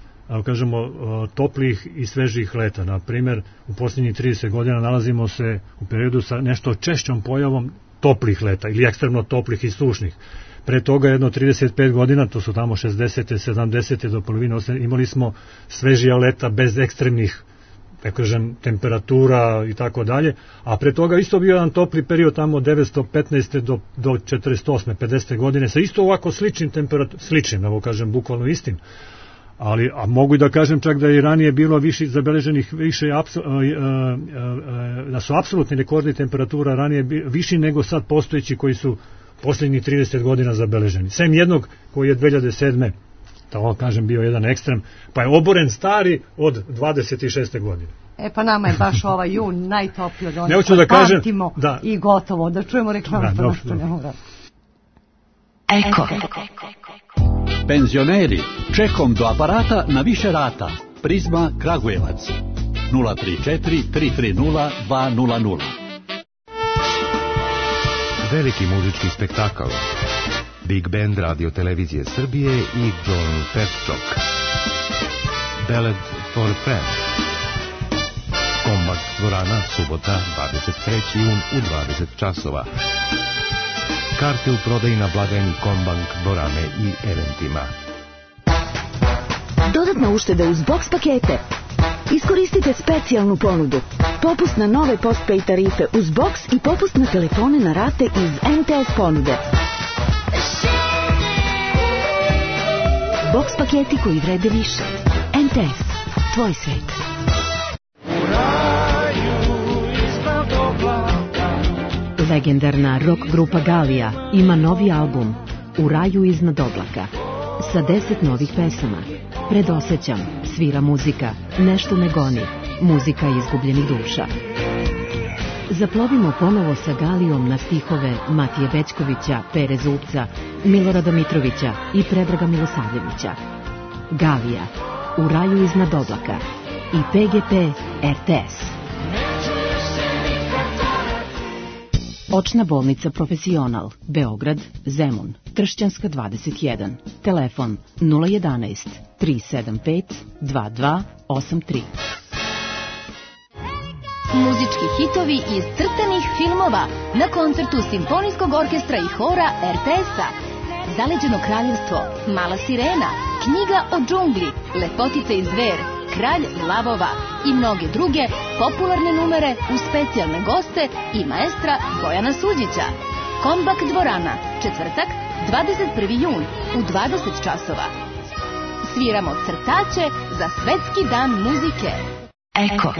[SPEAKER 6] kažemo, toplih i svežih leta. Na primjer, u posljednjih 30 godina nalazimo se u periodu sa nešto češćom pojavom toplih leta ili ekstremno toplih i sušnih. Pre toga jedno 35 godina, to su tamo 60. 70. do polovine, imali smo svežija leta bez ekstremnih, da kažem, temperatura i tako dalje, a pre toga isto bio jedan topli period tamo od 915. do 48. 50. godine sa isto ovako sličnim temperaturama, sličnim, evo kažem, bukvalno istim. Ali, a mogu i da kažem čak da je ranije bilo više zabeleženih, da su apsolutni rekordi temperatura ranije viši nego sad postojeći koji su posljednjih 30 godina zabeleženi. Sem jednog koji je 2007. tako kažem bio jedan ekstrem, pa je oboren stari od 26. godine.
[SPEAKER 2] Pa nama je baš ovaj jun najtopliji od onih koji pamtimo i gotovo, da čujemo reklamu što nešto ne mora.
[SPEAKER 10] Eko.
[SPEAKER 11] Penzioneri, čekom do aparata na više rata. Prizma Kragujevac 034 330 200.
[SPEAKER 12] Veliki muzički spektakl. Big Band Radio Televizije Srbije i John Petčok. Ballad for a Friend. Kombak dvorana, subota, 23. jun u 20 časova. Karte u prodaji na blagajni Kombank dvorane i eventima.
[SPEAKER 10] Dodatna ušteda uz box pakete. Iskoristite specijalnu ponudu. Popust na nove postpay tarife uz box i popust na telefone na rate iz MTS ponude. Box paketi koji vrede više. MTS. Tvoj svet. Legendarna rock grupa Galija ima novi album U raju iznad oblaka sa 10 novih pesama. Predosećam, svira muzika, nešto me goni, muzika izgubljenih duša. Zaplovimo ponovo sa Galijom na stihove Matije Bećkovića, Pere Zupca, Milorada Mitrovića i Predraga Milosavljevića. Galija, U raju iznad oblaka i PGP RTS. Očna bolnica Profesional, Beograd, Zemun, Tršćanska 21, telefon 011 375 2283.
[SPEAKER 13] Muzički hitovi iz crtanih filmova na koncertu Simfonijskog orkestra i hora RTS-a. Zaleđeno kraljevstvo, Mala sirena, Knjiga o džungli, Lepotica i zver, Kralj lavova i mnoge druge popularne numere uz specijalne goste i maestra Bojana Suđića. Kombak dvorana, četvrtak, 21. jun u 20 časova. Sviramo crtaće za Svetski dan muzike.
[SPEAKER 10] Eko.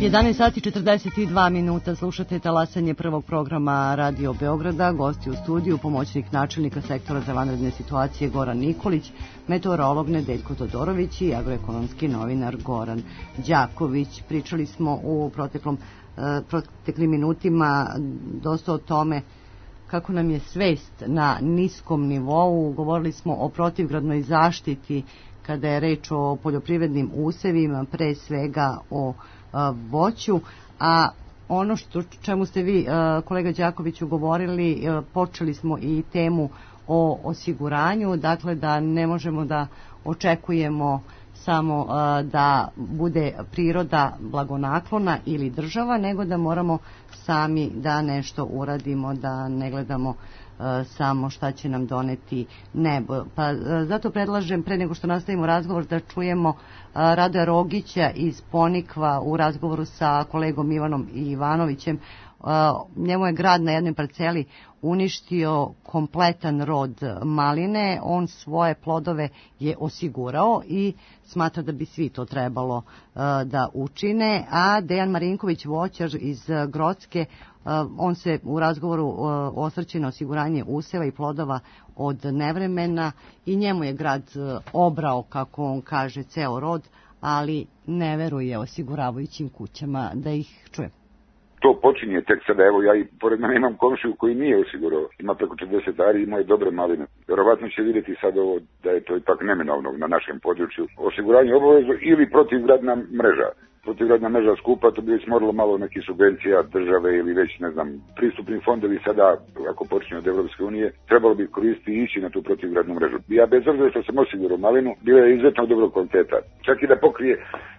[SPEAKER 2] 11 sati 42 minuta, slušate talasanje prvog programa Radio Beograda. Gosti u studiju, pomoćnik načelnika sektora za vanredne situacije Goran Nikolić, meteorolog Nedeljko Todorović i agroekonomski novinar Goran Đaković. Pričali smo u proteklim minutima dosta o tome kako nam je svest na niskom nivou. Govorili smo o protivgradnoj zaštiti kada je reč o poljoprivrednim usevima, pre svega o voću, a ono čemu ste vi, kolega Đakoviću, govorili, počeli smo i temu o osiguranju, dakle da ne možemo da očekujemo samo da bude priroda blagonaklona ili država, nego da moramo sami da nešto uradimo, da ne gledamo samo šta će nam doneti nebo. Pa zato predlažem, pre nego što nastavimo razgovor, da čujemo Radoja Rogića iz Ponikva u razgovoru sa kolegom Ivanom Ivanovićem. Njemu je grad na jednoj parceli uništio kompletan rod maline, on svoje plodove je osigurao i smatra da bi svi to trebalo da učine, a Dejan Marinković, voćar iz Grocke, on se u razgovoru osvrće na osiguranje useva i plodova od nevremena i njemu je grad obrao, kako on kaže, ceo rod, ali ne veruje osiguravajućim kućama. Da ih čujem.
[SPEAKER 14] To počinje tek sada, evo ja i pored mene imam komšiju koji nije osigurao, ima preko 40 ari, ima je dobre maline. Vjerovatno će vidjeti sad ovo da je to ipak neminovno na našem području. Osiguranje obavezno ili protivgradna mreža. Protivgradna mreža skupa, to bi već moralo malo nekih subvencija države ili već, ne znam, pristupni fondovi sada, ako počinju od Evropske unije, trebalo bi koristiti i ići na tu protivgradnu mrežu. Ja bez obzira što sam osigurao malinu, bila je izuzetno dobrog kvaliteta. Čak i da pokrije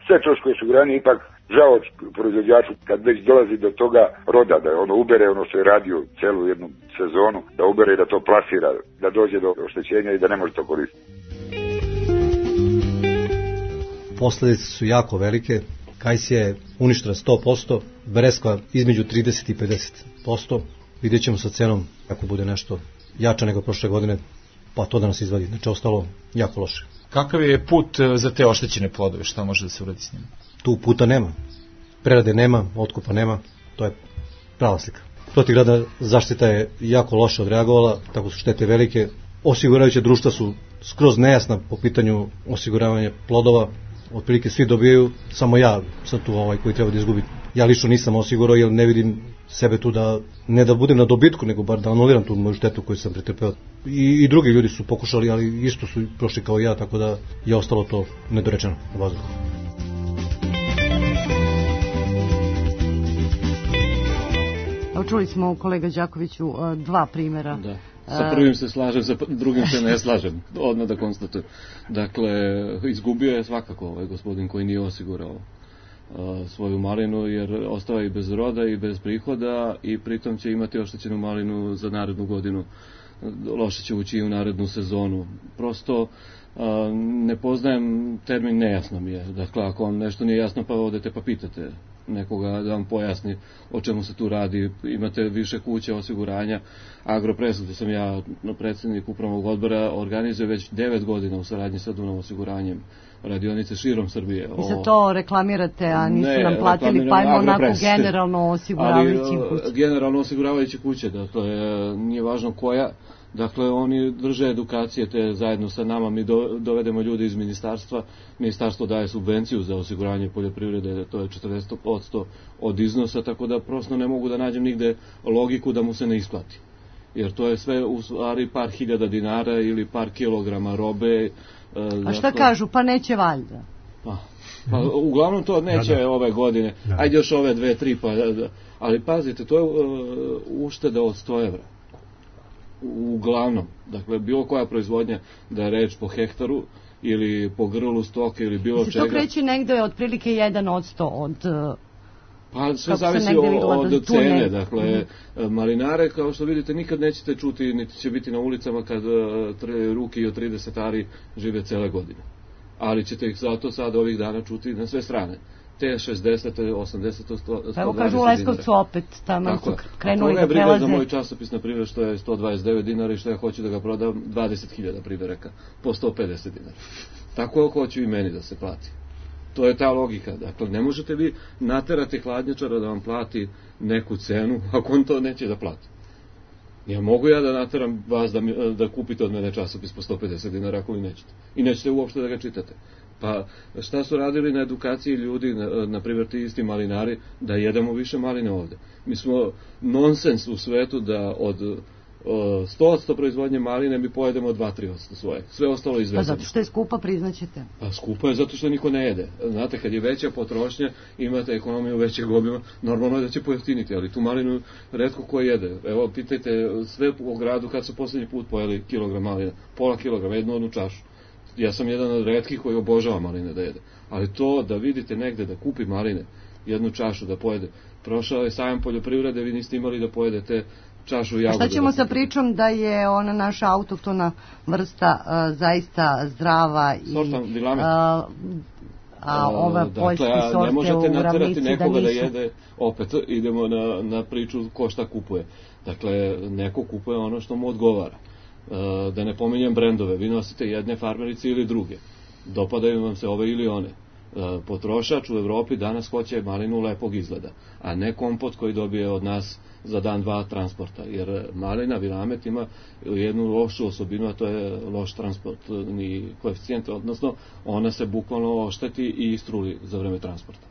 [SPEAKER 14] sve troškove osiguranja, ipak žao proizvođaču kad već dolazi do toga roda, da ono ubere ono što je radio celu jednu sezonu, da ubere i da to plasira, da dođe do oštećenja i da ne može to koristiti.
[SPEAKER 15] Posljedice su jako velike. Kajs je uništena 100%, Breskva između 30 i 50%. Vidjet ćemo sa cenom ako bude nešto jače nego prošle godine, pa to da nas izvadi. Znači, ostalo jako loše.
[SPEAKER 16] Kakav je put za te oštećene plodove? Šta može da se uradi s njima?
[SPEAKER 15] Tu puta nema. Prerade nema, otkupa nema. To je prava slika. Protivgradna zaštita je jako loše odreagovala, tako su štete velike. Osiguravajuće društva su skroz nejasna po pitanju osiguravanja plodova. otprilike svi dobijaju, samo ja sad tu koji treba da izgubim. Ja lično nisam osigurao jer ne vidim sebe tu da, ne da budem na dobitku, nego bar da anuliram tu moju štetu koju sam pretrpeo. I drugi ljudi su pokušali, ali isto su prošli kao ja, tako da je ostalo to nedorečeno u vazduhu.
[SPEAKER 2] Čuli smo, kolega Đakoviću, dva primjera.
[SPEAKER 7] Da. Sa prvim se slažem, sa drugim se ne slažem, odmah da konstatujem. Dakle, izgubio je svakako ovaj gospodin koji nije osigurao svoju malinu, jer ostava i bez roda i bez prihoda i pritom će imati oštećenu malinu za narednu godinu. Loše će ući i u narednu sezonu. Prosto ne poznajem termin, nejasno mi je. Dakle, ako vam nešto nije jasno, pa odete pa pitate nekoga da vam pojasni o čemu se tu radi. Imate više kuće osiguranja. Agropress, gde sam ja predsjednik upravnog odbora, organizuje već 9 godina u saradnji sa Dunav osiguranjem radionice širom Srbije.
[SPEAKER 2] I za to reklamirate, a nisu nam platili, pa imamo onako generalno osiguravajući kuće.
[SPEAKER 7] Ali generalno osiguravajući kuće, dakle, nije važno koja. Dakle, oni drže edukacije te zajedno sa nama, mi dovedemo ljudi iz ministarstva, ministarstvo daje subvenciju za osiguranje poljoprivrede, to je 40% od iznosa, tako da prosto ne mogu da nađem nigde logiku da mu se ne isplati. Jer to je sve u stvari par hiljada dinara ili par kilograma robe.
[SPEAKER 2] A šta kažu, pa neće valjda?
[SPEAKER 7] Pa, uglavnom to neće ove godine, ajde još ove 2-3, ali pazite, to je ušteda od 100 evra. Uglavnom, dakle, bilo koja proizvodnja, da je reč po hektaru ili po grlu stoke ili bilo čega.
[SPEAKER 2] Se to kreće negde otprilike 1% od...
[SPEAKER 7] Pa sve zavisi od cene, dakle, malinare, kao što vidite, nikad nećete čuti, niti će biti na ulicama kad ruke i od 30 ari žive cele godine. Ali ćete ih zato sad ovih dana čuti na sve strane. Te 60, 80, 120
[SPEAKER 2] Pa evo kažu u Leskovcu opet, tamo su krenuli da prelaze.
[SPEAKER 7] Briga za moj časopis, na primjer, što je 129 dinara i što ja hoću da ga prodam 20.000 primjeraka po 150 dinara. Tako hoću i meni da se plati. To je ta logika. Dakle, ne možete vi naterati hladnjačara da vam plati neku cenu ako on to neće da plati. Ja mogu ja da nateram vas da kupite od mene časopis po 150 dinara ako vi nećete. I nećete uopšte da ga čitate. Pa šta su radili na edukaciji ljudi, na primjer ti isti malinari, da jedemo više maline ovde. Mi smo nonsens u svetu da od 100% proizvodnje maline mi pojedemo 2-3% svoje. Sve ostalo izvezemo.
[SPEAKER 2] Pa zato što je skupa, priznaćete.
[SPEAKER 7] Pa skupa je zato što niko ne jede. Znate, kad je veća potrošnja, imate ekonomiju većeg obima, normalno je da će pojeftiniti, ali tu malinu retko ko jede. Evo, pitajte sve u gradu kad su posljednji put pojeli kilogram maline, pola kilograma, jednu čašu. Ja sam jedan od retkih koji obožava maline da jede. Ali to da vidite negde da kupi maline, jednu čašu da pojede, prošao je sajam poljoprivrede, vi niste imali da pojedete čašu jagode.
[SPEAKER 2] Šta ćemo sa pričom da je ona naša autohtona vrsta zaista zdrava i ova poljski sorte u Ravnici
[SPEAKER 7] ne možete naterati nekoga da jede, opet idemo na priču ko šta kupuje. Dakle, neko kupuje ono što mu odgovara. Da ne pominjem brendove, vi nosite jedne farmerice ili druge, dopadaju vam se ove ili one. Potrošač u Evropi danas hoće malinu lepog izgleda, a ne kompot koji dobije od nas za dan, dva transporta, jer malina Vilamet ima jednu lošu osobinu, a to je loš transportni koeficijent, odnosno ona se bukvalno ošteti i istruli za vreme transporta.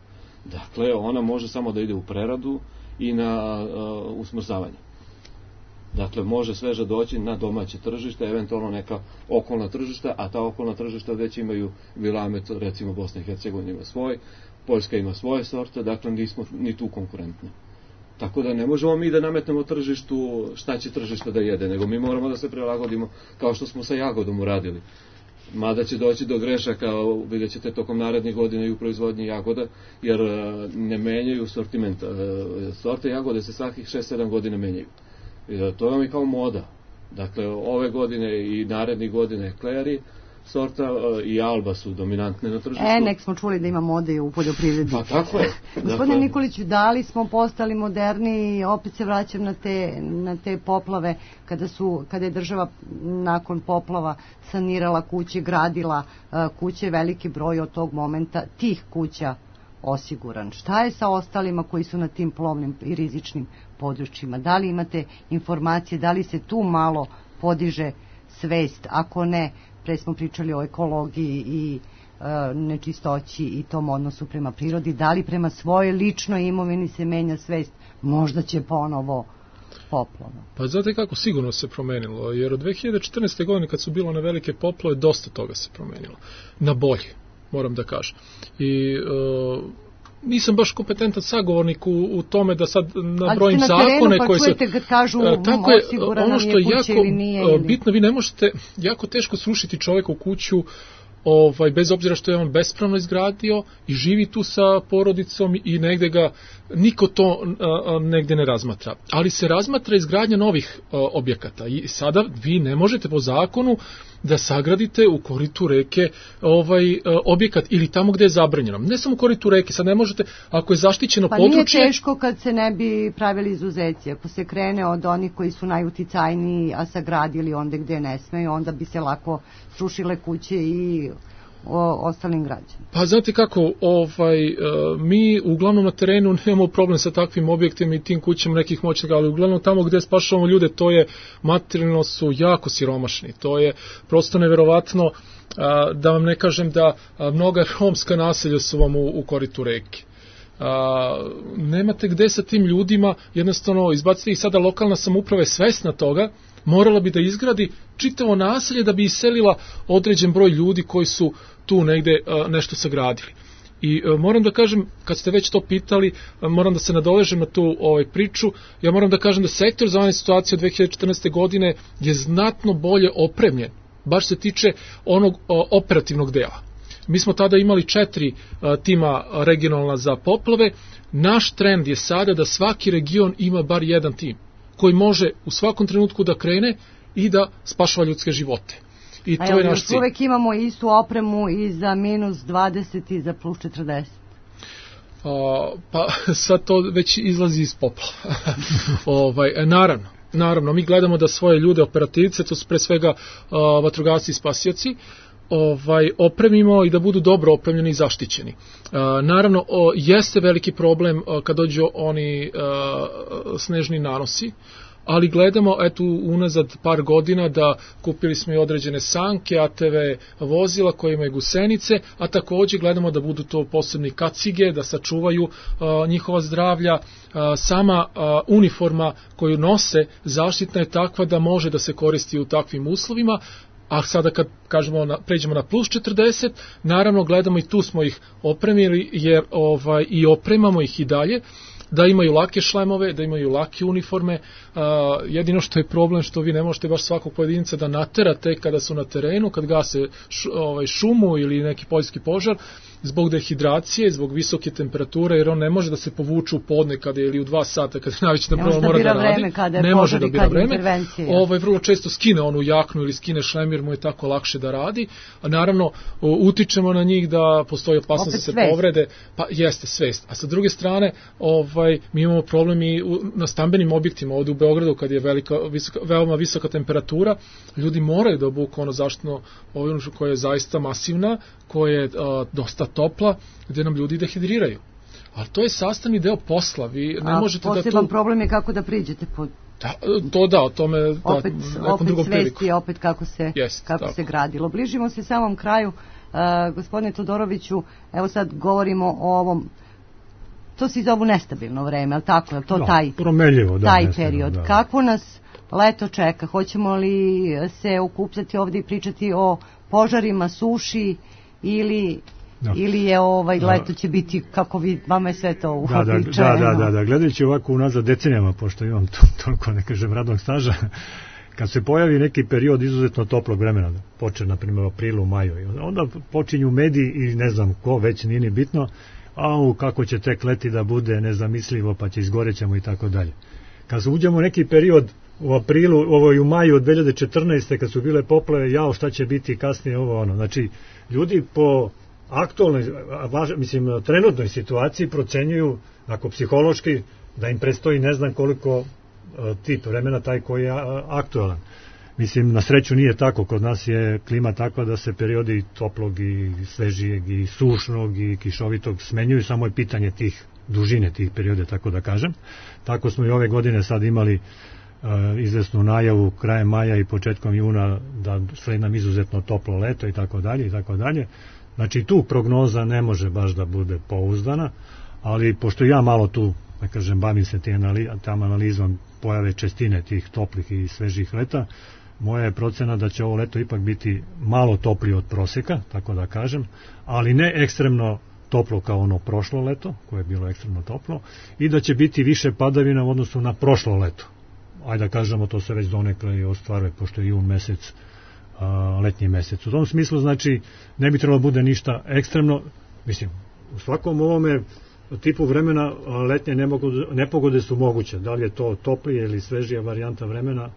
[SPEAKER 7] Dakle, ona može samo da ide u preradu i na usmrzavanje. Dakle, može sveže doći na domaće tržište, eventualno neka okolna tržišta, a ta okolna tržišta već imaju Vilamet, recimo Bosna i Hercegovina ima svoj, Poljska ima svoje sorte, dakle nismo ni tu konkurentni. Tako da ne možemo mi da nametnemo tržištu šta će tržište da jede, nego mi moramo da se prilagodimo kao što smo sa jagodom uradili. Mada će doći do grešaka, vidjet ćete tokom narednih godina i u proizvodnji jagoda, jer ne menjaju sortiment. Sorte jagode se svakih 6-7 godina menjaju. To vam je kao moda. Dakle, ove godine i narednih godine Kleri sorta i Alba su dominantne na tržištu.
[SPEAKER 2] Nek smo čuli da ima mode i u poljoprivredi.
[SPEAKER 7] Pa tako je.
[SPEAKER 2] Gospodine Nikoliću, da li smo postali moderni i opet se vraćam na te poplave, kada je država nakon poplava sanirala kuće, gradila kuće, veliki broj od tog momenta tih kuća osiguran. Šta je sa ostalima koji su na tim plovnim i rizičnim područjima? Da li imate informacije, da li se tu malo podiže svest, ako ne pre smo pričali o ekologiji i nečistoći i tom odnosu prema prirodi, da li prema svojoj ličnoj imovini se menja svest, možda će ponovo poplava?
[SPEAKER 5] Pa znate kako, sigurno se promenilo, jer od 2014. godine kad su bilo one velike poplave, dosta toga se promenilo. Na bolje, moram da kažem. I nisam baš kompetentan sagovornik u tome da sad nabrojim zakone koji se...
[SPEAKER 2] Kad kažu,
[SPEAKER 5] tako je, ono što je jako bitno, vi ne možete jako teško srušiti čoveka u kuću, bez obzira što je on bespravno izgradio i živi tu sa porodicom i negde ga niko to negde ne razmatra. Ali se razmatra izgradnja novih objekata i sada vi ne možete po zakonu da sagradite u koritu reke objekat ili tamo gde je zabranjeno. Ne samo u koritu reke, sad ne možete, ako je zaštićeno područje...
[SPEAKER 2] Pa nije teško kad se ne bi pravili izuzeci. Ako se krene od onih koji su najuticajniji, a sagradili onda gde ne smeju, onda bi se lako srušile kuće i ostalim građanima.
[SPEAKER 5] Pa znate kako, mi uglavnom na terenu nemamo problem sa takvim objektima i tim kućama nekih moćnika, ali uglavnom tamo gde spašavamo ljude, to je materijalno su jako siromašni. To je prosto neverovatno, da vam ne kažem da mnoga romska naselja su vam u koritu reke. Nemate gde sa tim ljudima, jednostavno izbaciti ih. Sada lokalna samouprava je svesna toga, morala bi da izgradi čitavo naselje da bi iselila određen broj ljudi koji su tu negde nešto sagradili. I moram da kažem, kad ste već to pitali, moram da se nadovežem na tu priču, ja moram da kažem da sektor za vanredne situacije od 2014. godine je znatno bolje opremljen, baš se tiče onog operativnog dela. Mi smo tada imali 4 tima regionalna za poplave. Naš trend je sada da svaki region ima bar jedan tim koji može u svakom trenutku da krene i da spašava ljudske živote. I to je naš cilj.
[SPEAKER 2] Uvek imamo istu opremu i za -20 i za +40.
[SPEAKER 5] Pa sad to već izlazi iz poplava. Naravno, mi gledamo da svoje ljude, operativce, to su pre svega vatrogasci i spasioci, opremimo i da budu dobro opremljeni i zaštićeni. Naravno, jeste veliki problem kad dođu oni snežni nanosi, ali gledamo, eto, unazad par godina da kupili smo i određene sanke, ATV vozila koje imaju gusenice, a također gledamo da budu to posebni kacige, da sačuvaju njihova zdravlja. Sama uniforma koju nose zaštitna je takva da može da se koristi u takvim uslovima. A sada kad pređemo na +40, naravno gledamo i tu smo ih opremili, jer i opremamo ih i dalje, da imaju lake šlemove, da imaju lake uniforme. Jedino što je problem što vi ne možete baš svakog pojedinca da naterate kada su na terenu, kad gase šumu ili neki poljski požar, zbog dehidracije, zbog visoke temperature, jer on ne može da se povuče u podne kada ili u 2 sata kada naviće da prvo mora da radi. Ne može da bira vreme. Vrlo često skine onu jaknu ili skine šlem jer mu je tako lakše da radi. A naravno utičemo na njih da postoji opasnost da se povrede. Pa jeste svest. A sa druge strane, mi imamo problem i na stambenim objektima ovdje u Beogradu kad je veoma visoka temperatura, ljudi moraju da obuku ono zaštitno obuću koja je zaista masivna, koja je dosta topla, gdje nam ljudi dehidriraju. Ali to je sastavni deo posla. Vi ne možete
[SPEAKER 2] poseban problem je kako da priđete pod...
[SPEAKER 5] O tome
[SPEAKER 2] opet svesti, opet kako se gradilo. Bližimo se samom kraju. Gospodine Todoroviću, evo sad govorimo o ovom, to se zovu nestabilno vreme, ali tako je to taj period. Da. Kako nas leto čeka? Hoćemo li se okupljati ovdje i pričati o požarima, suši ili je leto će biti kako vama je sve to uobičajeno?
[SPEAKER 6] Da, gledajući ovako unazad decenijama, pošto imam toliko, ne kažem, radnog staža, kad se pojavi neki period izuzetno toplog vremena, počne na primjer u aprilu, maju, onda počinju mediji i ne znam ko, već nije ni bitno, kako će tek leti da bude nezamislivo, pa će izgorećemo i tako dalje. Kad se uđemo u neki period u aprilu, u maju od 2014. kad su bile poplave, šta će biti kasnije znači ljudi po aktualnoj, trenutnoj situaciji procenjuju, ako psihološki, da im predstoji ne znam koliko tip vremena taj koji je aktualan. Na sreću nije tako, kod nas je klima takva da se periodi toplog i svežijeg i sušnog i kišovitog smenjuju, samo je pitanje dužine tih perioda, tako da kažem. Tako smo i ove godine sad imali izvesnu najavu krajem maja i početkom juna da sledi nam izuzetno toplo leto i tako dalje i tako dalje. Znači tu prognoza ne može baš da bude pouzdana, ali pošto ja malo tu, da kažem, bavim se tam analizom pojave čestine tih toplih i svežih leta, moja je procena da će ovo leto ipak biti malo toplije od proseka, tako da kažem, ali ne ekstremno toplo kao ono prošlo leto, koje je bilo ekstremno toplo, i da će biti više padavina u odnosu na prošlo leto. Ajde da kažemo, to se već donekle i ostvaruje, pošto je jun mesec, letnji mesec. U tom smislu, znači, ne bi trebalo bude ništa ekstremno, mislim, u svakom ovome tipu vremena letnje nepogode su moguće, da li je to toplije ili svežija varijanta vremena,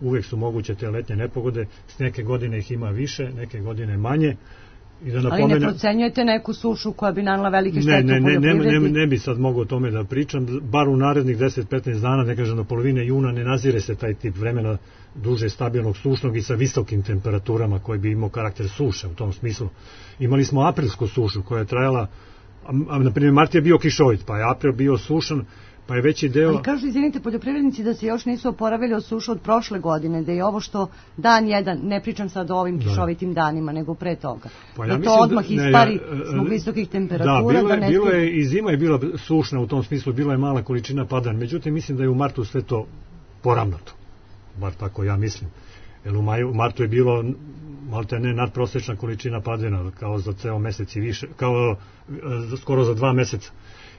[SPEAKER 6] uvek su moguće te letnje nepogode, s neke godine ih ima više, neke godine manje. I da
[SPEAKER 2] ali ne procenjujete neku sušu koja bi nanela velike štete u poljoprivredi?
[SPEAKER 6] Ne bi sad mogao o tome da pričam, bar u narednih 10-15 dana, ne kažem do polovine juna, ne nazire se taj tip vremena duže stabilnog sušnog i sa visokim temperaturama koji bi imao karakter suše u tom smislu. Imali smo aprilsku sušu koja je trajala, na primjer mart je bio kišovit, pa je april bio sušan, pa je veći deo...
[SPEAKER 2] Ali kažu, izvinite, poljoprivrednici da se još nisu oporavili od suša od prošle godine, da je ovo što dan jedan, ne pričam sad o ovim kišovitim danima, nego pre toga,
[SPEAKER 6] pa
[SPEAKER 2] da to odmah ispari zbog visokih temperatura.
[SPEAKER 6] Bilo je, i zima je bila sušna u tom smislu, bila je mala količina padanja, međutim mislim da je u martu sve to poravnato, bar tako ja mislim, jer u martu je bilo malte ne nadprosečna količina padanja, kao za ceo mesec i više, kao skoro za 2 meseca.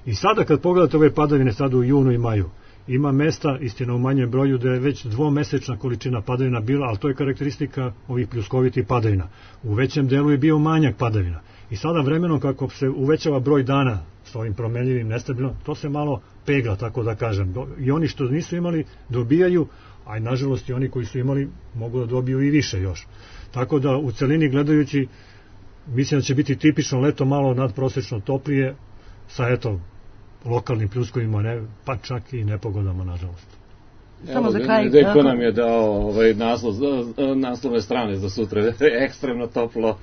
[SPEAKER 6] I sada kad pogledate ove padavine sada u junu i maju, ima mesta, istina u manjem broju, da je već dvomesečna količina padavina bila, ali to je karakteristika ovih pljuskovitih padavina. U većem delu je bio manjak padavina. I sada vremenom kako se uvećava broj dana s ovim promenljivim nestabilnom, to se malo pegla, tako da kažem. I oni što nisu imali dobijaju, a i nažalost i oni koji su imali mogu da dobiju i više još. Tako da u celini gledajući mislim da će biti tipično leto malo nadprosečno toplije sa eto lokalnim pljuskovima, pa čak i nepogodama, nažalost.
[SPEAKER 7] Samo za kraj... Deko nam je dao naslovne strane za sutra, ekstremno toplo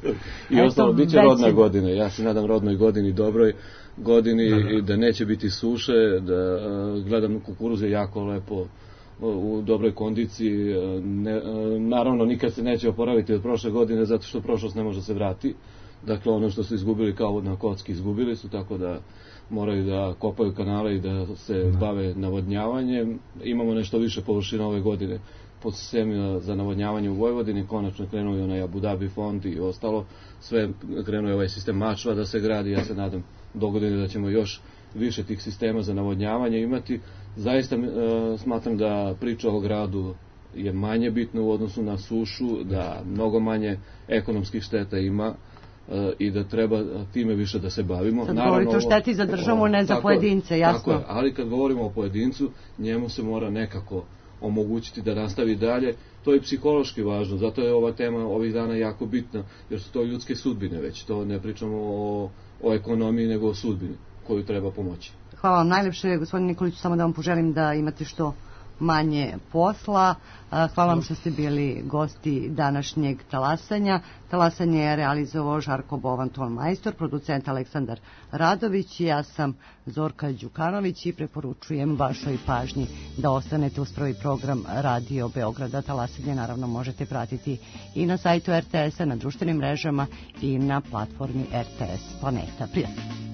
[SPEAKER 7] i ostalo, bit će rodna godina. Ja se nadam rodnoj godini, dobroj godini i da neće biti suše, da gledam kukuruze jako lepo u dobroj kondiciji. Naravno, nikad se neće oporaviti od prošle godine, zato što prošlost ne može se vrati. Dakle, ono što su izgubili kao na kocki izgubili su, tako da moraju da kopaju kanale i da se bave navodnjavanjem. Imamo nešto više površina ove godine pod sistemima za navodnjavanje u Vojvodini, konačno krenuo je onaj Abu Dhabi fond i ostalo, sve krenuo je ovaj sistem Mačva da se gradi, ja se nadam do godine da ćemo još više tih sistema za navodnjavanje imati. Zaista smatram da priča o gradu je manje bitna u odnosu na sušu, da mnogo manje ekonomskih šteta ima i da treba time više da se bavimo.
[SPEAKER 2] Sad govorite o šteti za državu, ne za pojedince, jasno.
[SPEAKER 7] Tako je, ali kad govorimo o pojedincu, njemu se mora nekako omogućiti da nastavi dalje. To je psihološki važno, zato je ova tema ovih dana jako bitna, jer su to ljudske sudbine već, to ne pričamo o ekonomiji, nego o sudbini koju treba pomoći.
[SPEAKER 2] Hvala vam najlepše, gospodin Nikolić, samo da vam poželim da imate što manje posla. Hvala vam što ste bili gosti današnjeg talasanja. Talasanje je realizovao Žarko Bovan, ton majstor, producent Aleksandar Radović. Ja sam Zorka Đukanović i preporučujem vašoj pažnji da ostanete uz prvi program Radio Beograda. Talasanje naravno možete pratiti i na sajtu RTS-a, na društvenim mrežama i na platformi RTS Planeta. Prijatno.